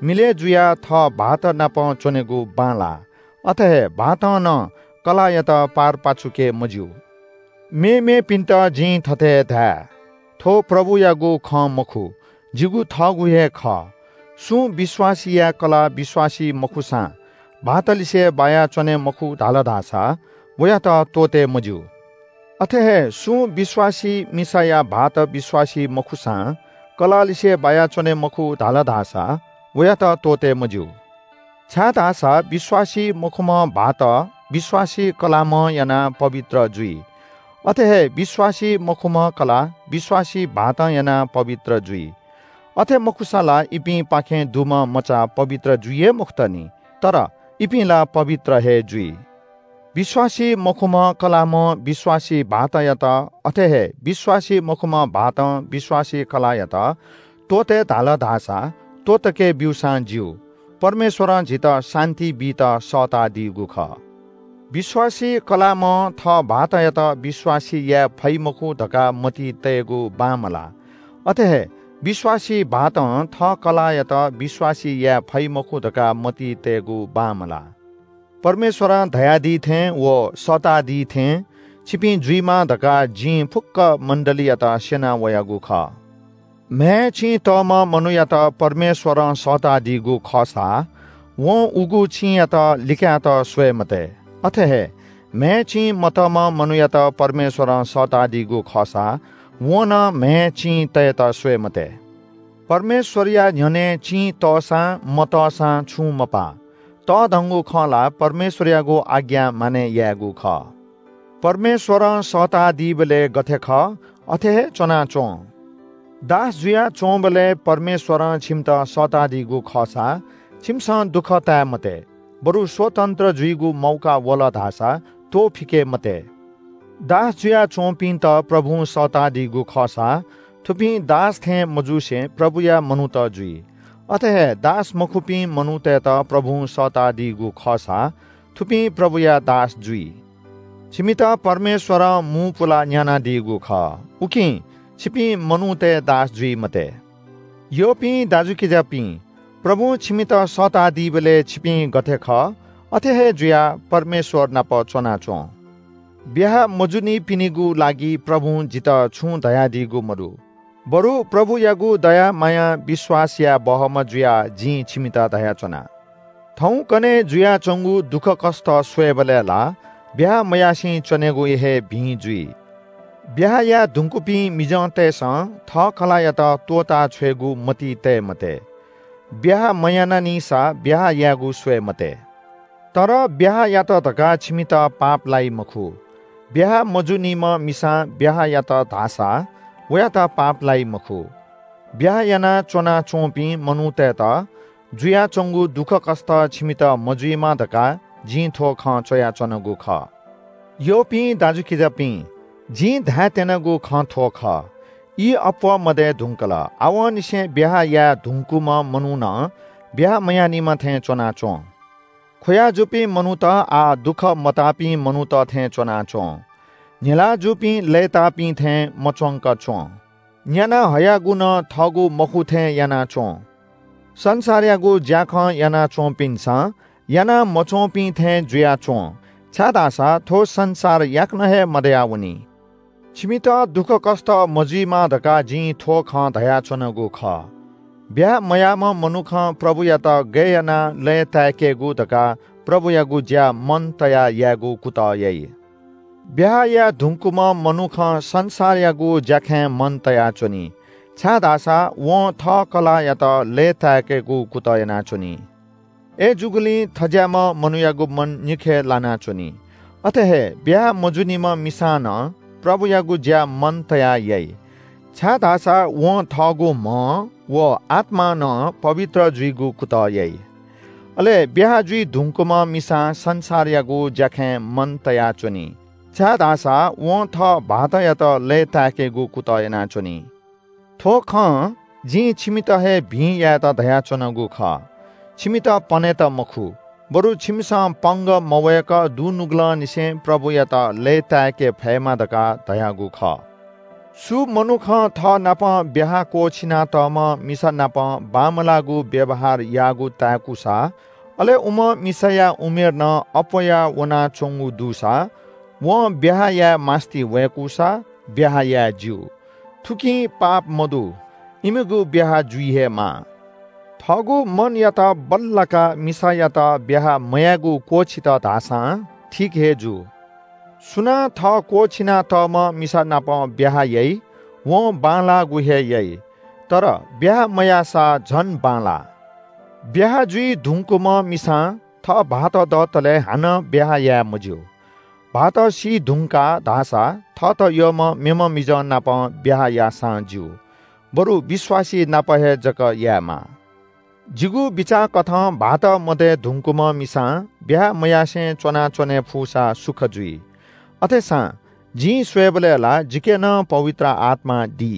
मिलय् जुयाः थः भाःत नाप च्‍वनेगु बांलाः। अथे हे भाःतं नं कलाःयात पार पाछुके मज्‍यू। मेमेपिन्‍त जिं थथे धाये, थ्‍व प्रभुयागु खँ मखु, जिगु थःगु हे खः। सुं विश्‍वासीया कलाः विश्‍वासी मखुसां भाःतलिसे बाया च्‍वने मखु धाल धाःसा वयात त्‍वःते मज्‍यू। अथे हे सुं विश्‍वासी मिसाया भाःत विश्‍वासी मखुसां कलाःलिसे बाया च्‍वने मखु धाल धाःसा वयात त्‍वःते मज्‍यू। छाय्‌धाःसा विश्‍वासी मखुम्‍ह भाःत विश्‍वासी कलाःम्‍हं यानाः पवित्र जुइ। अथे हे विश्‍वासी मखुम्‍ह कलाः विश्‍वासी भाःतं यानाः पवित्र जुइ। अथे मखुसा ला इपिंपाखें दुम्‍ह मचा पवित्र जुइ हे मखुत नि, तर इपिं ला पवित्र हे जुइ। विश्‍वासी मखुम्‍ह कलाःम्‍हं विश्‍वासी भाःतयात, अथे हे विश्‍वासी मखुम्‍ह भाःतं विश्‍वासी कलाःयात त्‍वःते धाल धाःसा त्‍वःतके ब्‍यूसां ज्‍यू। परमेश्‍वरं झीत शान्‍ति बीत सःतादीगु खः। विश्‍वासी कलाःम्‍हं थः भाःतयात विश्‍वासी याये फइ मखु धकाः मतिइ तयेगु बांमलाः। अथे हे विश्‍वासी भाःतं थः कलाःयात विश्‍वासी याये फइ मखु धकाः मतिइ तयेगु बांमलाः। परमेश्‍वरं धयादी थें व सःतादी थें छिपिं जुइमा धकाः जिं फुक्‍क मण्‍डलीयात स्‍यना वयागु खः। म्‍हय् चिं तःम्‍ह मनूयात परमेश्‍वरं सःतादीगु खःसा वं उगु चिंयात लिकायेत स्‍वये मते। अथे हे म्‍हय् चिं मतःम्‍ह मनूयात परमेश्‍वरं सःतादीगु खःसा वं नं म्‍हय् चिं तयेत स्‍वये मते। परमेश्‍वरया न्‍ह्यःने चिं तःसां मतःसां छुं मपाः। तःधंगु खँ ला परमेश्‍वरयागु आज्ञा मानय् यायेगु खः। परमेश्‍वरं सःतादीबलय् गथे खः, अथे हे च्‍वनाच्‍वँ। दास जुयाच्‍वंबलय् परमेश्‍वरं छिमित सःतादीगु खःसा छिमिसं दुःख ताये मते, बरु स्वतन्‍त्र जुइगु मौका वल धाःसा त्‍वःफिके मते। दास जुयाच्‍वंपिन्‍त प्रभुं सःतादीगु खःसा थुपिं दास थें मजुसे प्रभुया मनूत जुइ। अथे हे दास मखुपिं मनूतय्‌त प्रभुं सःतादीगु खःसा थुपिं प्रभुया दास जुइ। छिमित परमेश्‍वरं मू पुलाः न्‍यानादीगु खः, उकिं छिपिं मनूतय् दास जुइ मते। यःपिं दाजुकिजापिं, प्रभुं छिमित सःतादीबलय् छिपिं गथे खः, अथे हे जुयाः परमेश्‍वर नाप च्‍वनाच्‍वँ। ब्‍याहा मजूनिपिनिगु लागि प्रभुं जितः छुं धयादीगु मदु, बरु प्रभुयागु दया मायां विश्‍वास याये बहःम्‍ह जुयाः जिं छिमित धयाच्‍वना। थौंकन्हय् जुयाच्वंगु दुःखकष्ट स्वयेबलय् ला ब्याहा मयासें च्वनेगु हे भिं जुइ। ब्याहा याये धुंकूपिं मिजंतय्‌सं थः कलाःयात त्वःता छ्वयेगु मतिइ तये मते। ब्याहा मयानानिसा ब्याहा यायेगु स्वये मते। तर ब्याहा यात धकाः छिमित पाप लाइ मखु। ब्याहा मजूनिम्ह मिसां ब्याहा यात धाःसा वयात पाप लाइ मखु। ब्याहा यानाः च्वनाच्वंपिं मनूतय्‌त जुयाच्वंगु दुःखकष्ट छिमित मजुइमा धकाः जिं थ्व खँ च्वयाच्वनागु खः। यःपिं दाजुकिजापिं, जिं धायेत्यनागु खँ थ्व खः, ई अप्वः मदये धुंकल। आवंनिसें ब्याहा याये धुंकूम्ह मनुखं ब्याहा मयानीम्ह थें च्वनाच्वं। खुयाजूपिं मनूत आः दुःख मताःपिं मनूत थें च्वनाच्वं। न्हिला जूपिं लय्ताःपिं थें मच्वंक च्वं। न्याना हयागु नं थःगु मखु थें यानाच्वं। संसारयागु ज्याखँ यानाच्वंपिन्सं याना मच्वंपिं थें जुयाच्वं, छाय्धाःसा थ्व संसार याकनं हे मदयावनी। छिमित दुःखकष्ट मजुइमा धकाः जिं थ्व खँ धयाच्वनागु खः। ब्याहा मयाःम्ह मनुखं प्रभुयात गय् यानाः लय्ताय्केगु धकाः प्रभुयागु ज्या मन तयाः यायेगु कुतः याइ। ब्याहा याये धुंकूम्ह मनुखं संसारयागु ज्याखँय् मन तयाच्वनी, छाय्धाःसा वं थः कलाःयात लय्ताय्केगु कुतः यानाच्वनी। अय्‌जूगुलिं थज्याःम्ह मनूयागु मन निखे लानाच्वनी। अथे हे ब्याहा मजूनिम्ह मिसां नं प्रभुयागु ज्या मन तयाः याइ, छाय्धाःसा वं थःगु म्ह व आत्मां नं पवित्र जुइगु कुतः याइ। अले ब्याहा जुइ धुंकूम्ह मिसां संसारयागु ज्याखँय् मन तयाच्वनी, छाय्धाःसा वं थः भाःतयात लय्ताय्केगु कुतः यानाच्वनी। थ्व खँ जिं छिमित हे भिं यायेत धयाच्वनागु खः। छिमित पनेत मखु, बरु छिमिसं पंगः मवय्क दुनुगलंनिसें प्रभुयात लय्ताय्के फयेमा धकाः धयागु खः। सु मनुखं थःनापं ब्याहा क्वःछिनातःम्ह मिसा नाप बांमलाःगु व्‍यवहार याःगु ताय्कूसा, अले उम्ह मिसाया उमेर नं अप्‍वया वनाच्‍वंगु दुसा, वं ब्‍याहा याये मास्‍ति वय्‌कूसा, ब्‍याहा याये ज्‍यू। थुकिं पाप मदु, इमिगु ब्‍याहा जुइ हे माः। थःगु मनयात बल्‍लाकाः मिसायात ब्‍याहा मयायेगु क्‍वःछित धाःसां ठीक हे जू। सुनां थः क्‍वःछिनातःम्‍ह मिसा नाप ब्‍याहा याइ, वं बांलाःगु हे याइ, तर ब्‍याहा मयाःसा झन बांलाः। ब्‍याहा जुइ धुंकूम्‍ह मिसां थः भाःत दःतले हानं ब्‍याहा याये मज्‍यू। भाःत सी धुंकाः धाःसा थःत यःम्‍ह मेम्‍ह मिजं नाप ब्‍याहा याःसां ज्‍यू, बरु विश्‍वासी नाप हे जक यायेमाः। जिगु बिचाःकथं भाःत मदये धुंकूम्‍ह मिसां ब्‍याहा मयासें च्‍वनाच्‍वने फुसा सुख जुइ। अथेसां जिं स्‍वयेबलय् ला जिके नं पवित्र आत्‍मा दी।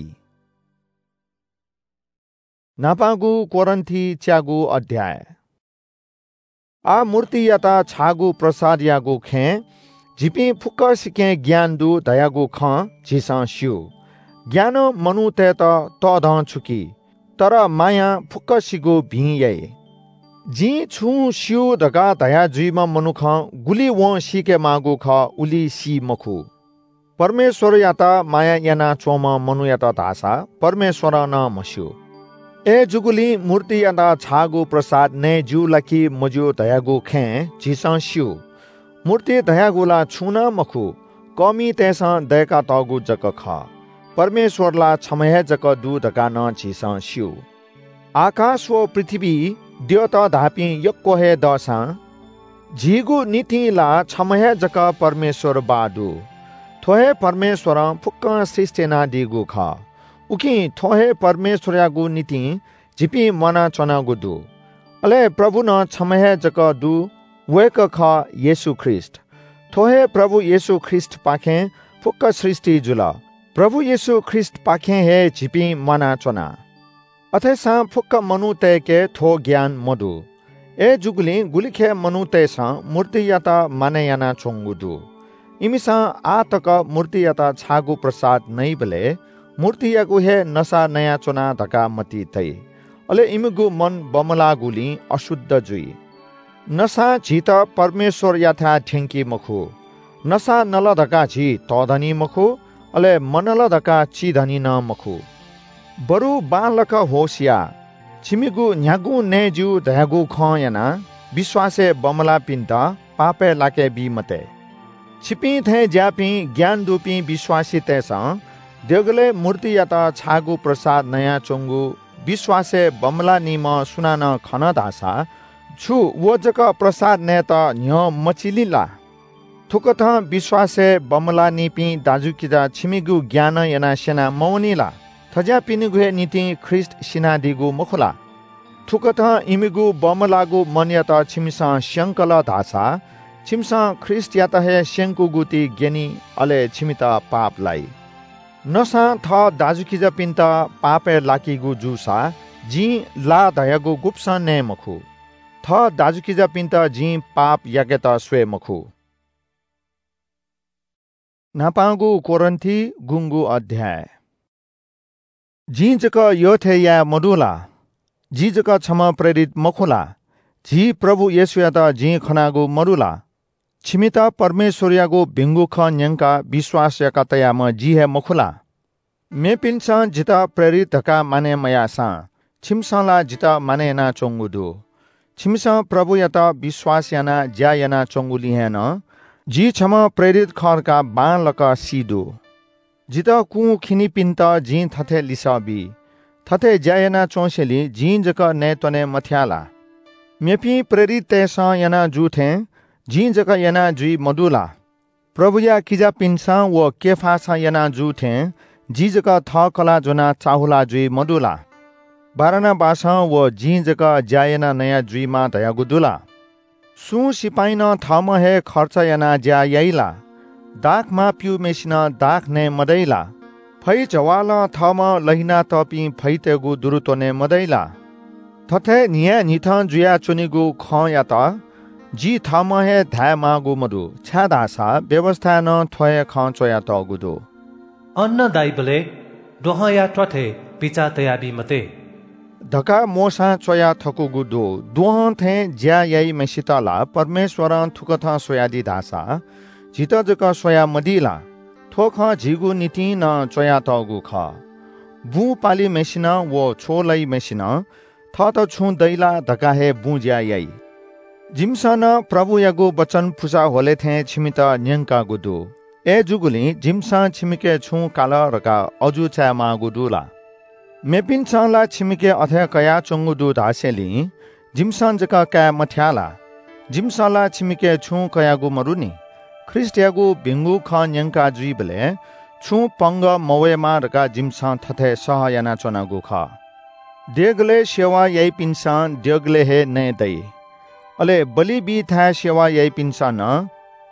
न्‍हापांगु कोरिन्‍थीच्यागु अध्‍याय। आः मूर्तियात छाःगु प्रसादयागु खँय् झीपिं फुक्‍कसिके ज्ञान दु धयागु खँ झीसं स्‍यू। ज्ञानं मनूतय्‌त तःधंछुकी, तर मायां फुक्‍कसिगु भिं याइ। जिं छुं स्‍यू धकाः धया जुइम्‍ह मनुखं गुलि वं सीकेमाःगु खः, उलि सी मखु। परमेश्‍वरयात माया यानाच्‍वंम्‍ह मनूयात धाःसा परमेश्‍वरं नं म्हस्‍यू। अय्‌जूगुलिं मूर्तियात छाःगु प्रसाद नये ज्‍यू ला कि मज्‍यू धयागु खँय् झीसं स्‍यू। मूर्ति धयागु ला छुं नं मखु, कःमितय्‌सं दय्‌कातःगु जक खः। परमेश्‍वर ला छम्‍ह हे जक दु धकाः नं झीसं स्‍यू। आकाश व पृथ्‍वी द्यःत धाःपिं यक्‍व हे दःसां, झीगु निंतिं ला छम्‍ह हे जक परमेश्‍वर बाः दु। थ्‍व हे परमेश्‍वरं फुक्‍कं सृष्‍टि यानादीगु खः। उकिं थ्‍व हे परमेश्‍वरयागु निंतिं झीपिं म्‍वानाच्‍वनागु दु। अले प्रभु नं छम्‍ह हे जक दु, वय्‌कः खः येशू ख्रीष्‍ट। थ्‍व हे प्रभु येशू ख्रीष्‍टपाखें फुक्‍क सृष्‍टि जुल। प्रभु येशू ख्रीष्‍टपाखें हे झीपिं म्‍वानाच्‍वना। अथेसां फुक्‍क मनूतय्‌के थ्‍व ज्ञान मदु। अय्‌जूगुलिं गुलिखे मनूतय्‌सं मूर्तियात मानय् यानाच्‍वंगु दु। इमिसं आः तक मूर्तियात छाःगु प्रसाद नइबलय् मूर्तियागु हे नसा नयाच्‍वना धकाः मतिइ तइ। अले इमिगु मन बमलाःगुलिं अशुद्ध जुइ। नसां झीत परमेश्‍वरयाथाय् थ्‍यंकी मखु। नसा नल धकाः झी तःधनी मखु, अले मनल धकाः चिधनी नं मखु। बरु बांलाक होश या। छिमिगु न्‍ह्यागुं नये ज्‍यू धयागु खँ यानाः विश्वासय् बमलाःपिन्त पापय् लाके बी मते। छिपिं थें ज्याःपिं ज्ञान दुपिं विश्वासीतय्‌सं देगलय् मूर्तियात छाःगु प्रसाद नयाच्वंगु विश्वासय् बमलाःनिम्ह सुनानं खन धाःसा, छु व जक प्रसाद नयेत न्ह्यः मचिली ला? थुकथं विश्वासय् बमलाःनिपिं दाजुकिजा छिमिगु ज्ञानं यानाः स्यना मवनी ला? थज्याःपिनिगु हे निंतिं ख्रीष्ट सिनादीगु मखु ला? थुकथं इमिगु बमलाःगु मनयात छिमिसं स्यंकल धाःसा, छिमिसं ख्रीष्टयात हे स्यंकूगु ति ग्यनी, अले छिमित पाप लाइ। नसां थः दाजुकिजापिन्त पापय् लाकीगु जूसा, जिं ला धयागु गुब्सं नये मखु। थः दाजुकिजापिन्त जिं पाप याकेत स्वये मखु। न्हापांगु कोरिन्थी गुंगू अध्याय। जिं जक यःथें याये मदु ला? जि जक छम्ह प्रेरित मखु ला? झी प्रभु येशूयात जिं खनागु मदु ला? छिमित परमेश्वरयागु भिंगु खँ न्यंकाः विश्वास याका तयाम्ह जि हे मखु ला? मेपिन्सं जितः प्रेरित धकाः मानय् मयाःसां, छिमिसं ला जितः मानय् यानाच्वंगु दु। छिमिसं प्रभुयात विश्वास यानाः ज्या यानाच्वंगुलिं हे नं जि छम्ह प्रेरित खः धकाः बांलाक सी दु। जितः कुंखिनिपिन्त जिं थथे लिसः बी, थथे ज्या यानाच्वंसेंलि जिं जक नयेत्वने मथ्याः ला? मेपिं प्रेरिततय्‌सं याना जू थें जिं जक याना जुइ मदु ला? प्रभुया किजापिन्सं व केफासं याना जू थें जि जक थः कलाः ज्वनाः चाःहुला जुइ मदु ला? बारनाबासं व जिं जक ज्या याना नया जुइमाः धयागु दु ला? सुं सिपाइँनं थःम्हं हे खर्च यानाः ज्या याइ ला? दाखमा प्यूम्हय्‌सिनं दाख नये मदइ ला? फैजवालं थःम्हं लहिनातःपिं फैतय्‌गु दुरु त्वने मदइ ला? थथे न्हियान्हिथं जुयाच्वनीगु खँयात जि थःम्हं हे धायेमाःगु मदु, छाय्‌धाःसा व्‍यवस्‍थाय् नं थ्‍व हे खँ च्‍वयातःगु दु। अन्न दाइबलय् द्वहंया त्‍वाथय् बिचाः तयाबी मते धकाः मोशां च्‍वया थकूगु दु। द्वहं थें ज्‍या याइम्‍हय्‌सित ला परमेश्‍वरं थुकथं स्‍वयादी धाःसा झीत जक स्‍वयामदी ला? थ्‍व खँ झीगु निंतिं नं च्‍वयातःगु खः। बुँ पालिम्‍हय्‌सिनं व छ्वलाइम्‍हय्‌सिनं थःत छुं दइ ला धकाः हे बुँज्‍या याइ। जिमिसं नं प्रभुयागु वचन पुसा ह्वले थें छिमित न्‍यंकागु दु। अय्‌जूगुलिं जिमिसं छिमिके छुं काल धकाः अजू चायेमाःगु दु ला? मेपिन्‍सं ला छिमिके अथे कयाच्‍वंगु दु धासेंलि जिमिसं जक काये मथ्‍याः ला? जिमिसं ला छिमिके छुं कयागु मदुनि। ख्रीष्‍टयागु भिंगु खँ न्‍यंका जुइबलय् छुं पंगः मवयेमा धकाः जिमिसं थथे सह यानाच्‍वनागु खः। देगलय् सेवा याइपिन्‍सं देगलय् हे नये दइ। अले बलि बीथाय् सेवा याइपिन्‍सं नं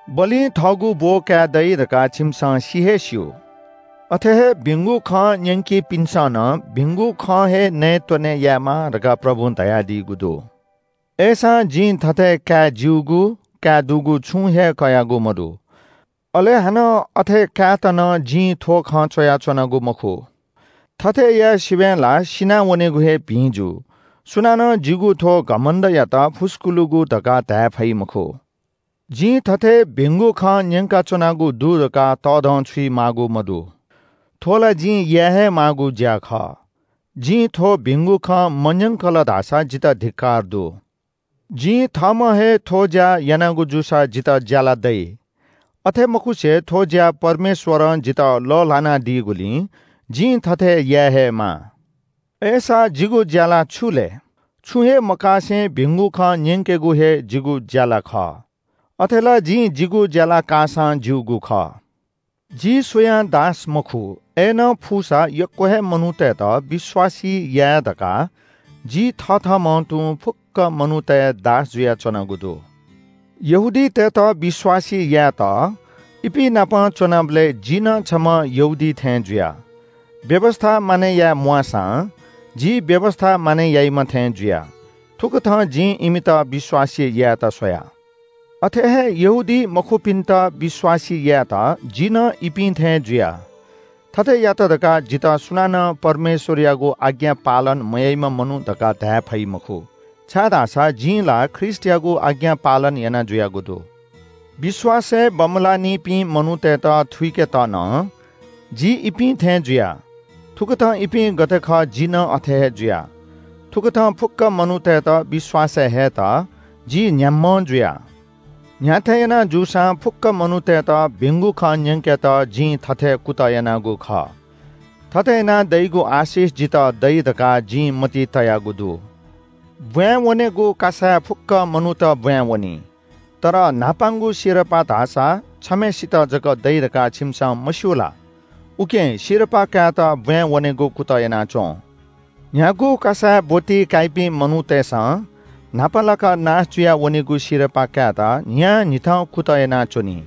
बलिं थःगु ब्‍व काये दइ धकाः छिमिसं सि हे स्‍यू। अथे हे भिंगु खँ न्‍यंकीपिन्‍सं नं भिंगु खँ हे नये त्‍वने यायेमाः धकाः प्रभुं धयादीगु दु। अय्‌सां जिं थथे काये ज्‍यूगु, काये दुगु छुं हे कयागु मदु। अले हानं अथे कायेत नं जिं थ्‍व खँ च्‍वयाच्‍वनागु मखु। थथे याये सिबें ला सिनावनेगु हे भिं जू। सुनानं जिगु थ्‍व घमण्‍डयात फुस्‍कुलुगु धकाः धाये फइ मखु। जिं थथे भिंगु खँ न्‍यंकाच्‍वनागु दु धकाः तःधंछुइ माःगु मदु। थ्‍व ला जिं याये हे माःगु ज्‍या खः। जिं थ्‍व भिंगु खँ मन्‍यंकल धाःसा जितः धिक्‍कार दु। जिं थःम्‍हं हे थ्‍व ज्‍या यानागु जूसा जितः ज्‍याला दइ। अथे मखुसे थ्‍व ज्‍या परमेश्‍वरं जितः लःल्‍हानादीगुलिं जिं थथे याये हे माः। अय्‌सा जिगु ज्‍याला छु लय्? छुं हे मकासें भिंगु खँ न्‍यंकेगु हे जिगु ज्‍याला खः। अथे ला जिं जिगु ज्‍याला काःसां ज्‍यूगु खः। जि सुयां दास मखु, अय्‌नं फुसा यक्‍व हे मनूतय्‌त विश्‍वासी याये धकाः जि थथःम्‍हं तुं फुक्‍क मनूतय् दास जुयाच्‍वनागु दु। यहूदीतय्‌त विश्‍वासी यायेत इपिं नाप च्‍वनाबलय् जि नं छम्‍ह यहूदी थें जुया। व्‍यवस्‍था मानय् याये म्‍वाःसां जि व्‍यवस्‍था मानय् याइम्‍ह थें जुया। थुकथं जिं इमित विश्‍वासी यायेत स्‍वया। अथे हे यहूदी मखुपिन्‍त विश्‍वासी यायेत जि नं इपिं थें जुया। थथे यात धकाः जितः सुनानं परमेश्‍वरयागु आज्ञा पालन मयाइम्‍ह मनू धकाः धाये फइ मखु, छाय्‌धाःसा जिं ला ख्रीष्‍टयागु आज्ञा पालन याना जुयागु दु। विश्‍वासय् बमलाःनिपिं मनूतय्‌त थुइकेत नं जि इपिं थें जुया। थुकथं इपिं गथे खः, जि नं अथे हे जुया। थुकथं फुक्‍क मनूतय्‌त विश्‍वासय् हयेत जि न्ह्याम्हं जुया। न्ह्याथें याना जूसां फुक्क मनूतय्‌त भिंगु खँ न्यंकेत जिं थथे कुतः यानागु खः। थथे यानाः दइगु आशिष जितः दइ धकाः जिं मतिइ तयागु दु। ब्वाँय् वनेगु कासाय् फुक्क मनूत ब्वाँय् वनी। तर न्हापांगु सिरपाः धाःसा छम्हेसित जक दइ धकाः छिमिसं मस्यू ला? उकिं सिरपाः कायेत ब्वाँय् वनेगु कुतः यानाच्वँ। न्ह्यागु कासाय् ब्वति काइपिं मनूतय्‌सं न्हापालाक नाश जुया वनीगु सिरपाः कायेत न्हियान्हिथं कुतः यानाच्वनी।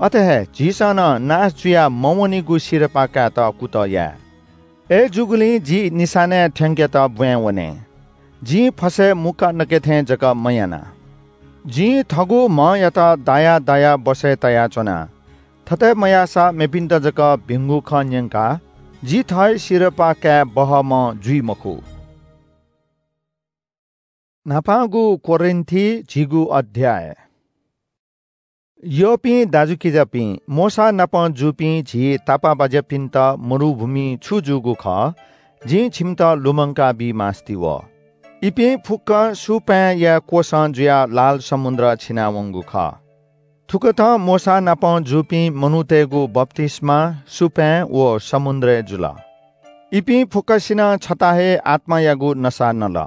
अथे हे झीसं नं नाश जुया मवनीगु सिरपाः कायेत कुतः याये। अय्‌जूगुलिं जि निशानाय् थ्यंकेत ब्वाँय् वने। जिं फसय् मुक्का नके थें जक मयाना। जिं थःगु म्हयात दाया दाया बसय् तयाच्वना। थथे मयाःसा मेपिन्त जक भिंगु खँ न्यंकाः जि थः हे सिरपाः काये बहःम्ह जुइ मखु। न्हापांगु कोरिन्थी झिगू अध्याय। यःपिं दाजुकिजापिं, मोशा नाप जूपिं झी तापाःबाज्यापिन्त मरुभूमिइ छु जूगु खः, जिं छिमित लुमंका बी मास्ति वः। इपिं फुक्कं सुपाँय्‌या क्वसं जुयाः लाल समुद्र छिनावंगु खः। थुकथं मोशा नाप जूपिं मनूतय्‌गु बप्तिस्मा सुपाँय् व समुद्रय् जुल। इपिं फुक्कसिनं छता हे आत्मायागु नसा नल।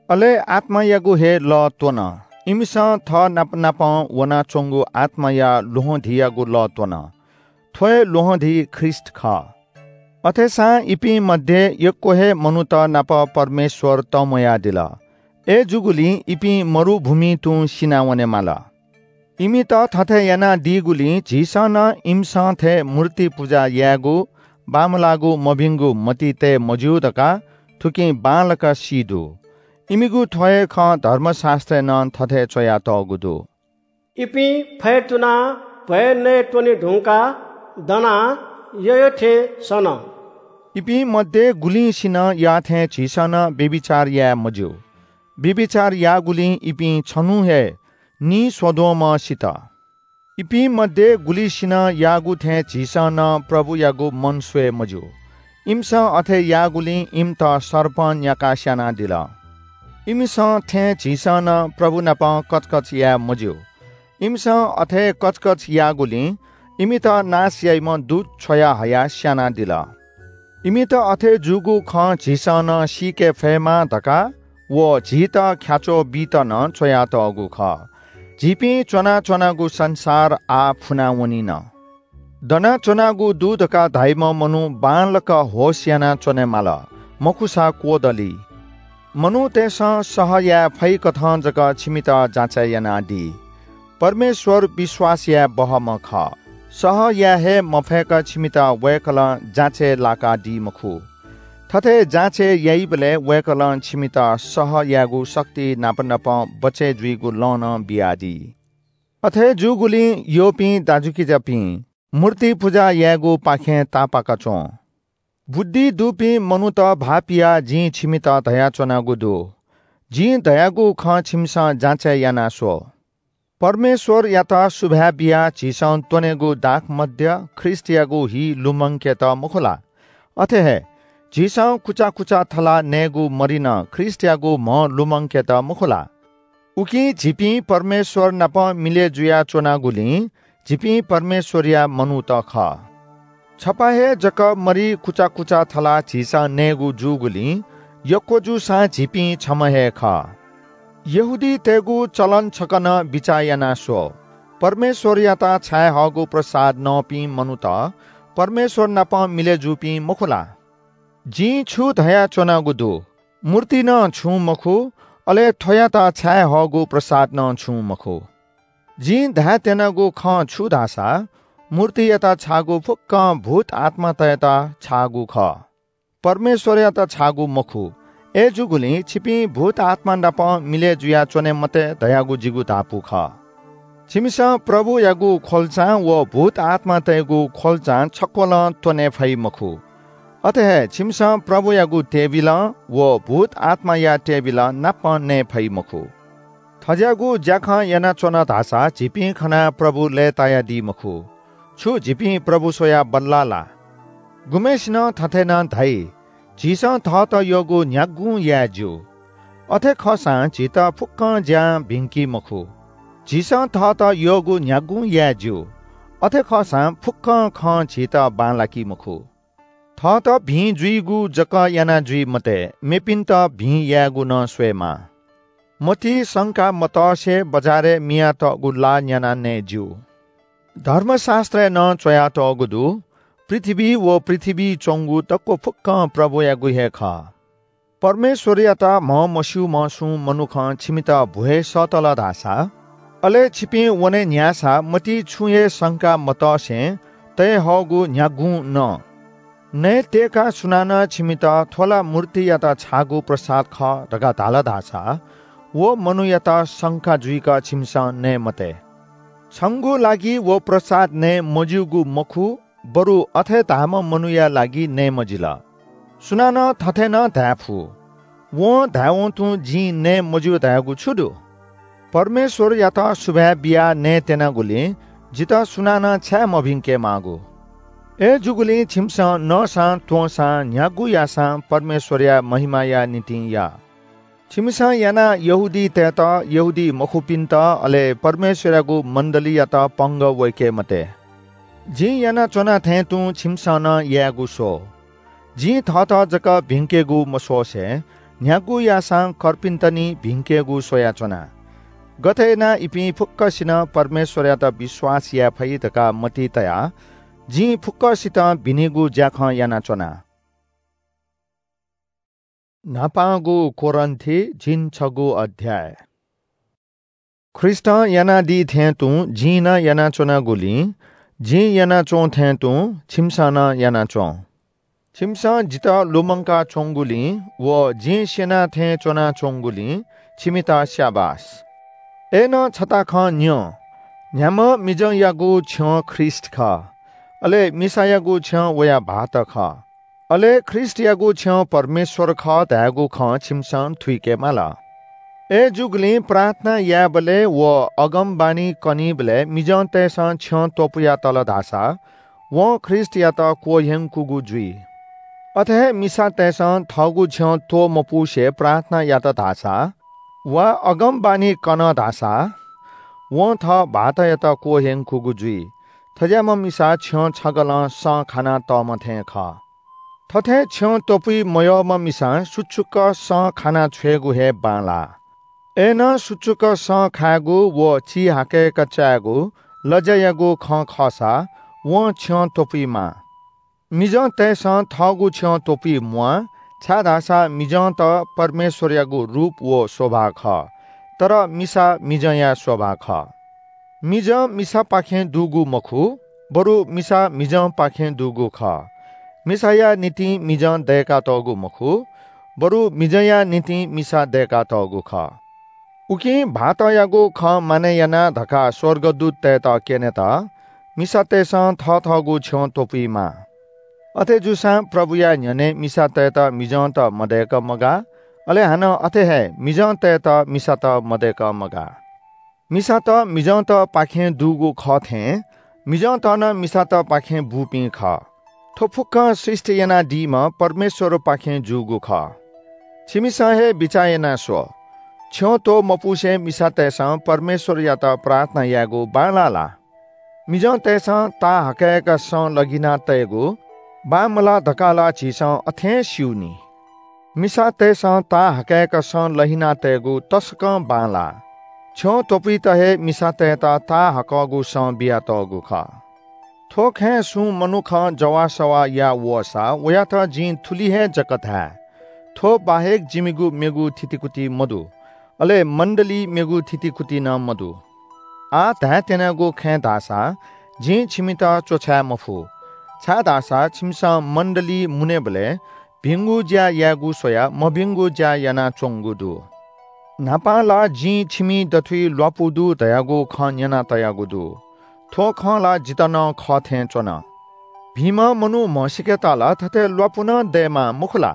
अले आत्मायागु हे लः त्वन। इमिसं थः नाप नापं वनाच्वंगु आत्माया ल्वहंधीयागु लः त्वन। थ्व हे ल्वहंधी ख्रीष्ट खः। अथेसां इपिं मध्ये यक्व हे मनूत नाप परमेश्वर तंम्वयादिल। अय्‌जूगुलिं इपिं मरुभूमिइ तुं सिनावनेमाल। इमित थथे यानादीगुलिं झीसं नं इमिसं थें मूर्ति पुजा यायेगु, बांमलाःगु मभिंगु मतिइ तये मज्यू धकाः थुकिं बांलाक सी दु। इमिगु थ्व हे खँ धर्मशास्‍त्रय् नं थथे च्‍वयातःगु दु। इपिं फय् तुनाः भ्‍वय् नये त्‍वने धुंकाः दनाः यःयः थें सन। इपिं मध्ये गुलिंसिनं याः थें झीसं नं व्‍यभिचार याये मज्‍यू। व्‍यभिचार याःगुलिं इपिं छन्‍हुं हे निस्‍वद्वंम्‍ह सित। इपिं मध्ये गुलिसिनं याःगु थें झीसं नं प्रभुयागु मन स्‍वये मज्‍यू। इमिसं अथे याःगुलिं इमित सर्पं न्‍याकाः स्‍यानादिल। इमिसं थें झीसं नं प्रभु नाप कचकच याये मज्‍यू। इमिसं अथे कचकच याःगुलिं इमित नाश याइम्‍ह दूत छ्वया हयाः स्‍यानादिल। इमित अथे जूगु खँ झीसं नं सीके फयेमा धकाः व झीत ख्‍याच्‍वः बीत नं च्‍वयातःगु खः। झीपिं च्‍वनाच्‍वनागु संसार आः फुनावनिन। दनाच्‍वनागु दु धकाः धाइम्‍ह मनू बांलाक होश यानाच्‍वनेमाल, मखुसा क्‍वदली। मनूतय्‌सं सह याये फइकथं जक छिमित जाँचय् यानादी। परमेश्‍वर विश्‍वास याये बहःम्‍ह खः। सह याये हे मफय्‌क छिमित वय्‌कलं जाँचय् लाकादी मखु। थथे जाँचय् याइबलय् वय्‌कलं छिमित सह यायेगु शक्ति नाप नापं बचय् जुइगु लँ नं बियादी। अथे जूगुलिं यःपिं दाजुकिजापिं, मूर्ति पुजा यायेगुपाखें तापाक च्‍वँ। बुद्धि दुपिं मनूत भाःपियाः जिं छिमित धयाच्‍वनागु दु। जिं धयागु खँ छिमिसं जाँचय् याना स्‍व। परमेश्‍वरयात सुभाय् बियाः झीसं त्‍वनेगु दाखमद्य ख्रीष्‍टयागु हि लुमंकेत मखु ला? अथे हे झीसं कुचा कुचा थलाः नयेगु मरि नं ख्रीष्‍टयागु म्‍ह लुमंकेत मखु ला? उकिं झीपिं परमेश्‍वर नाप मिलय् जुयाच्‍वनागुलिं झीपिं परमेश्‍वरया मनूत खः। छपा हे जक मरि कुचा कुचा थलाः झीसं नयेगु जूगुलिं यक्‍व जूसां झीपिं छम्‍ह हे खः। यहूदीतय्‌गु चलन छकः नं बिचाः याना स्‍व। परमेश्‍वरयात छाये हःगु प्रसाद नःपिं मनूत परमेश्‍वर नाप मिलय् जूपिं मखु ला? जिं छु धयाच्‍वनागु दु, मूर्ति नं छुं मखु, अले थ्‍वयात छाये हःगु प्रसाद नं छुं मखु। जिं धायेत्यनागु खँ छु धाःसा, मूर्तियात छाःगु फुक्‍कं भूत आत्‍मातय्‌त छाःगु खः, परमेश्‍वरयात छाःगु मखु। अय्‌जूगुलिं छिपिं भूत आत्‍मा नाप मिलय् जुयाच्‍वने मते धयागु जिगु धापू खः। छिमिसं प्रभुयागु ख्‍वल्‍चां व भूत आत्‍मातय्‌गु ख्‍वल्‍चां छक्‍वलं त्‍वने फइ मखु। अथे हे छिमिसं प्रभुयागु table व भूत आत्‍माया table नाप नये फइ मखु। थज्‍याःगु ज्‍याखँ यानाच्‍वन धाःसा झीपिं खनाः प्रभु लय्‌तायादी मखु। छु झीपिं प्रभु स्‍वयाः बल्‍लाः ला? गुम्‍हय्‌सिनं थथे नं धाइ, झीसं थःत यःगु न्‍ह्यागुं याये ज्‍यू। अथे खःसां झीत फुक्कं ज्यां भिंकी मखु। झीसं थःत यःगु न्ह्यागुं याये ज्यू। अथे खःसां फुक्कं खँ झीत बांलाकी मखु। थःत भिं जुइगु जक याना जुइ मते, मेपिन्त भिं यायेगु नं स्वयेमाः। मतिइ शंका मतसे बजारय् मियातःगु ला न्याना नये ज्यू। धर्मशास्त्रय् नं च्वयातःगु दु, पृथ्वी व पृथ्वीइ च्वंगु दक्व फुक्कं प्रभुयागु हे खः। परमेश्वरयात म्हमस्यूम्ह सुं मनुखं छिमित भ्वय् सःतल धाःसा, अले छिपिं वने न्ह्याःसा मतिइ छुं हे शंका मतसे तये हःगु न्ह्यागुं नं। नये तयेकाः सुनानं छिमित थ्व ला मूर्तियात छाःगु प्रसाद खः धकाः धाल धाःसा, व मनूयात शंका जुइक छिमिसं नये मते। छंगु लागि व प्रसाद नये मज्यूगु मखु, बरु अथे धाःम्ह मनूया लागि नये मजिल। सुनानं थथे नं धाये फु, वं धायेवं तुं जिं नये मज्यू धयागु छु दु? परमेश्वरयात सुभाय् बियाः नये त्यनागुलिं जितः सुनानं छाय् मभिंके माःगु? अय्‌जूगुलिं छिमिसं नःसां त्वंसां न्ह्यागु याःसां परमेश्वरया महिमाया निंतिं या। छिमिसं यानाः यहूदीतय्‌त, यहूदी मखुपिन्त, अले परमेश्वरयागु मण्डलीयात पंगः वय्‌के मते। जिं यानाच्वना थें तुं छिमिसं नं यायेगु स्व। जिं थःत जक भिंकेगु मस्वसे न्ह्यागु याःसां कर्पिन्त नि भिंकेगु स्वयाच्वना। गथे यानाः इपिं फुक्कसिनं परमेश्वरयात विश्वास याये फइ धकाः मतिइ तयाः जिं फुक्कसितं भिनेगु ज्याखँ यानाच्वना। न्हापांगु कोरिन्थी झिंछगू अध्याय। ख्रीष्टं यानादी थें तुं जिं नं यानाच्वनागुलिं, जिं यानाच्वं थें तुं छिमिसं नं यानाच्वँ। छिमिसं जितः लुमंका च्वंगुलिं व जिं स्यना थें च्वनाच्वंगुलिं छिमित स्याबास। अय्‌नं छता खँ न्यँ, न्ह्याम्ह मिजंयागु छ्यं ख्रीष्ट खः, अले मिसायागु छ्यं वया भाःत खः। अले ख्रीष्टयागु छ्यं परमेश्वर खः धायेगु खँ छिमिसं थुइके माल। अय्‌जूगुलिं प्रार्थना यायेबलय् व अगमवाणी कनीबलय् मिजंतय्‌सं छ्यं त्वपुयातल धाःसा, वं ख्रीष्टयात क्वह्यंकूगु जुइ। अथे हे मिसातय्‌सं थःगु छ्यं त्वमपुसे प्रार्थना यात धाःसा, वा अगमवाणी कन धाःसा, वं थः भाःतयात क्वह्यंकूगु जुइ। थज्याःम्ह मिसा छ्यं छगलं सँ खाना तःम्ह थें खः। थथे छ्यं त्वपुइ मयःम्ह मिसां सुचुक सँ खाना छ्वयेगु हे बांलाः। अय्‌नं सुचुक सँ खायेगु व चिहाकय्‌क चायेगु लज्यायागु खँ खःसा वं छ्यं त्वपुइमाः। मिजंतय्‌सं थःगु छ्यं त्वपुइ म्वाः, छाय्‌धाःसा मिजंत परमेश्वरयागु रूप व स्वभाव खः, तर मिसा मिजंया स्वभाव खः। मिजं मिसापाखें दुगु मखु, बरु मिसा मिजंपाखें दुगु खः। मिसाया निंतिं मिजं दय्‌कातःगु मखु, बरु मिजंया निंतिं मिसा दय्‌कातःगु खः। उकिं भाःतयागु खँ मानय् याना धकाः स्वर्गदूततय्‌त क्यनेत मिसातय्‌सं थथःगु छ्यं त्वपुइमाः। अथे जूसां प्रभुया न्ह्यःने मिसातय्‌त मिजंत मदय्‌क मगाः, अले हानं अथे हे मिजंतय्‌त मिसात मदय्‌क मगाः। मिसात मिजंतपाखें दुगु खः थें मिजंत नं मिसातपाखें बूपिं खः। थ्व फुक्कं सृष्टि यानादीम्ह परमेश्वरपाखें जूगु खः। छिमिसं हे बिचाः याना स्व, छ्यं त्वमपुसे मिसातय्‌सं परमेश्वरयात प्रार्थना यायेगु बांलाः ला? मिजंतय्‌सं ताःहाकय्‌क सँ लहिना तयेगु बांमलाः धकाः ला झीसं अथें स्यू नि। मिसातय्‌सं ताःहाकय्‌क सँ लहिना तयेगु तसकं बांलाः। छ्यं त्वपुइत हे मिसातय्‌त ताःहाकःगु सँ बियातःगु खः। थ्व खँय् सुं मनुखं जवाःसवाः याः वःसा वयात जिं थुलि हे जक धाये, थ्व बाहेक जिमिगु मेगु थितिकुति मदु, अले मण्डलीइ मेगु थितिकुति नं मदु। आः धायेत्यनागु खँय् धाःसा जिं छिमित च्वछाये मफु, छाय्‌धाःसा छिमिसं मण्डलीइ मुनेबलय् भिंगु ज्या यायेगु स्वयाः मभिंगु ज्या यानाच्वंगु दु। न्हापां ला जिं छिमि दथुइ ल्वापु दु धयागु खँ न्यना तयागु दु। थ्व खँ ला जितः नं खः थें च्वन। भिंम्ह मनू म्हसीकेत ला थथे ल्वापु नं दयेमाः मखु ला?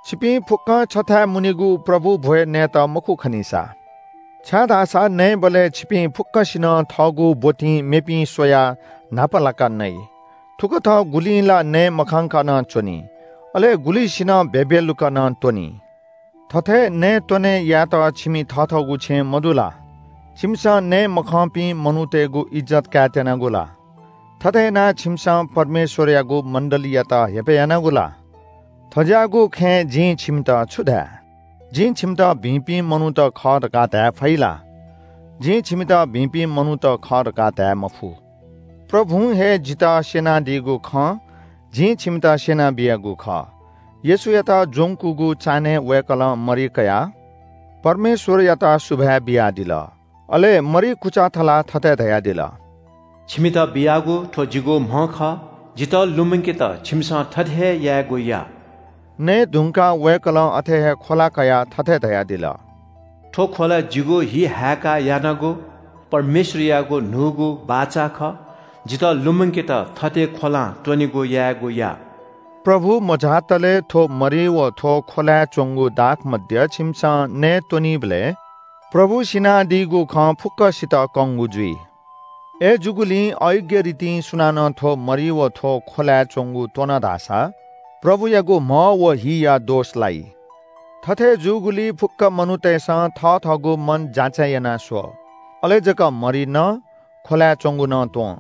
छिपिं फुक्कं छथाय् मुनीगु प्रभु भ्वय् नयेत मखु खनीसा। छाय्‌धाःसा नयेबलय् छिपिं फुक्कसिनं थःगु ब्वतिं मेपिं स्वयाः न्हापालाका नइ। थुकथं गुलिं ला नये मखंक नं च्वनी, अले गुलिसिनं भेभेलुक नं त्वनी। थथे नयेत्वने यायेत छिमि थःथःगु छेँ मदु ला? छिमिसं नये मखंपिं मनूतय्‌गु इज्जत कायेत्यनागु ला? थथे यानाः छिमिसं परमेश्वरयागु मण्डलीयात हेपय् यानागु ला? थज्याःगु खँय् जिं छिमित छु धाये? जिं छिमित भिंपिं मनूत खः धकाः धाये फइ ला? जिं छिमित भिंपिं मनूत खः धकाः धाये मफु। प्रभुं हे जितः स्यनादीगु खँ जिं छिमित स्यनाबियागु खः। येशूयात ज्वंकूगु चान्हय् वय्‌कलं मरि कयाः परमेश्वरयात सुभाय् बियादिल। अले मरि कुचा थलाः थथे धयादिल, "छिमित बियागु थ्व जिगु म्ह खः, जितः लुमंकेत छिमिसं थथे हे यायेगु या।" नये धुंकाः वय्‌कलं अथे हे ख्वला कयाः थथे धयादिल, "थ्व ख्वला जिगु हि हाय्‌काः यानागु परमेश्वरयागु न्हूगु बाचा खः। जितः लुमंकेत थथे ख्वलां त्वनेगु यायेगु या।" प्रभु मझातले थ्व मरि व थ्व ख्वलाय् च्वंगु दाखमद्य छिमिसं नये त्वनीबलय् प्रभु सिनादीगु खँ फुक्कसित कंगु जुइ। अय्‌जूगुलिं अय्‌ग्य रितिं सुनानं थ्व मरि व थ्व ख्वलाय् च्वंगु त्वन धाःसा प्रभुयागु म्ह व हिया दोष लाइ। थथे जूगुलिं फुक्क मनूतय्‌सं थःथःगु मन जाँचय् याना स्व, अले जक मरि नं ख्वलाय् च्वंगु नं त्वँ।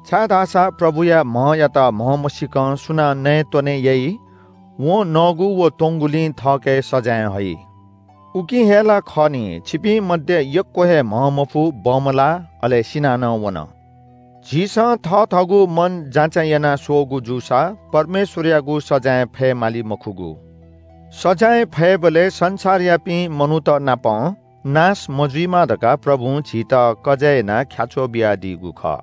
छाय्‌धाःसा प्रभुया म्हयात म्ह मसीकं सुनां नये त्वने याइ, वं नःगु व त्वंगुलिं थःके सजाँय हइ। उकिं हे ला खः नि, छिपिं मध्ये यक्व हे म्ह मफु बमलाः, अले सिनानं वन। झीसं थःथःगु मन जाँचय् याना स्वःगु जूसा परमेश्वरयागु सजाँय फये माली मखुगु। सजाँय फयेबलय् संसारयापिं मनूत नाप नाश मजुइमा धकाः प्रभुं झीत कजय् यानाः ख्याच्वः बियादीगु खः।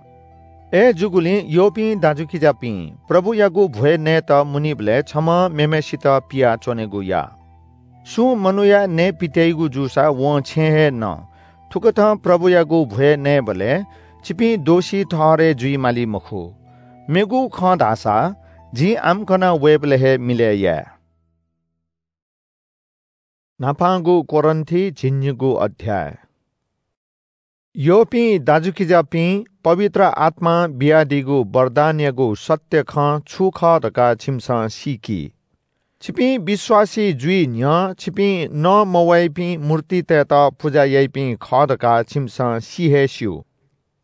अय्‌जूगुलिं यःपिं दाजुकिजापिं, प्रभुयागु भ्वय् नयेत मुनीबलय् छम्हं मेम्हय्‌सित पियाच्वनेगु या। सुं मनूया नये पित्याइगु जूसा वं छेँ हे न। थुकथं प्रभुयागु भ्वय् नयेबलय् छिपिं दोषी ठहरय् जुइ माली मखु। मेगु खँ धाःसा जिं आम्कन वयेबलय् हे मिलय् याये। न्हापांगु कोरिन्थी झिंनिगू अध्याय। यःपिं दाजुकिजापिं, पवित्र आत्मां बियादीगु वरदानयागु सत्य खँ छु खः धकाः छिमिसं सीकि। छिपिं विश्वासी जुइ न्ह्यः छिपिं नमवाइपिं मूर्तितय्‌त पुजा याइपिं खः धकाः छिमिसं सि हे स्यू।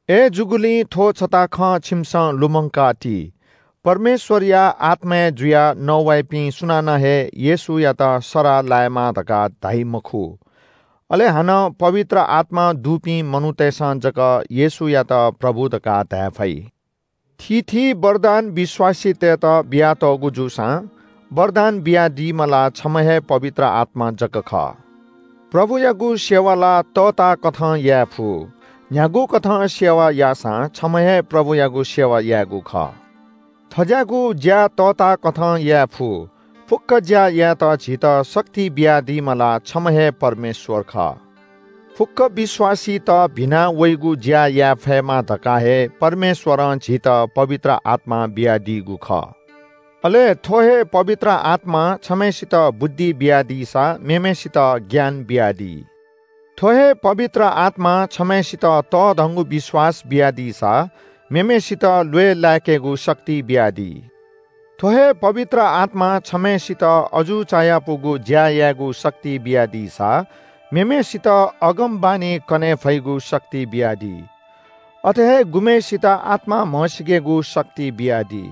अय्‌जूगुलिं थ्व छता खँ छिमिसं लुमंका ति। परमेश्वरया आत्माय् जुयाः नवाइपिं सुनानं हे येशूयात सराः लायेमाः धकाः धाइ मखु। अले हानं पवित्र आत्मा दुपिं मनूतय्‌सं जक येशूयात प्रभु धकाः धाये फइ। थीथी वरदान विश्वासीतय्‌त बियातःगु जूसां वरदान बियादीम्ह ला छम्ह हे पवित्र आत्मा जक खः। प्रभुयागु सेवा ला तःताकथं याये फु। न्ह्यागुकथं सेवा याःसां छम्ह हे प्रभुयागु सेवा यायेगु खः। थज्याःगु ज्या तःताकथं याये फु। फुक्क ज्या यायेत झीत शक्ति बियादीम्ह ला छम्ह हे परमेश्वर खः। फुक्क विश्वासीत भिना वइगु ज्या याये फयेमा धकाः हे परमेश्वरं झीत पवित्र आत्मा बियादीगु खः। अले थ्व हे पवित्र आत्मां छम्हय्‌सित बुद्धि बियादीसा मेम्हय्‌सित ज्ञान बियादी। थ्व हे पवित्र आत्मां छम्हय्‌सित तःधंगु विश्वास बियादीसा मेम्हय्‌सित ल्वय् लाय्‌केगु शक्ति बियादी। थ्व हे पवित्र आत्मां छम्हय्‌सित अजू चायापुगु ज्या यायेगु शक्ति बियादीसा मेम्हय्‌सित अगमवाणी कने फइगु शक्ति बियादी। अथे हे गुम्हय्‌सित आत्मा म्हसीकेगु शक्ति बियादी।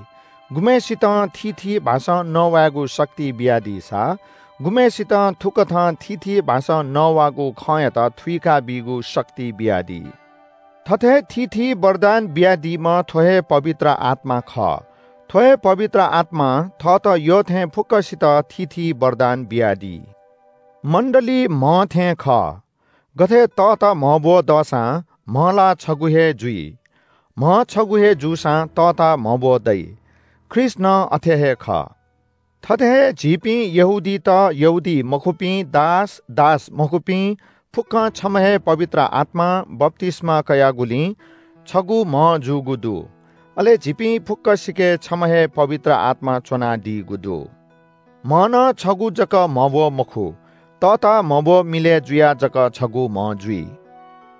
गुम्हय्‌सितं थीथी भाषां नवायेगु शक्ति बियादीसा गुम्हय्‌सितं थुकथं थीथी भाषां नवाःगु खँयात थुइका बीगु शक्ति बियादी। थथे थीथी वरदान बियादीम्ह थ्व हे पवित्र आत्मा खः। थ्व हे पवित्र आत्मां थःत यःथें फुक्कसित थीथी वरदान बियादी। मण्डली म्ह थें खः। गथे तःता म्हब्व दःसां म्ह ला छगू हे जुइ। म्ह छगू हे जूसां तःता म्हब्व दइ। ख्रीष्ट नं अथे हे खः। थथे हे झीपिं यहूदीत, यहूदी मखुपिं दास, दास मखुपिं फुक्कं छम्ह हे पवित्र आत्मां बप्तिस्मा कयागुलिं छगू म्ह जूगु दु। अले झीपिं फुक्कसिके छम्ह हे पवित्र आत्मा च्वनादीगु दु। म्ह नं छगू जक म्हब्व मखु, तःता म्हब्व मिलय् जुयाः जक छगू म्ह जुइ।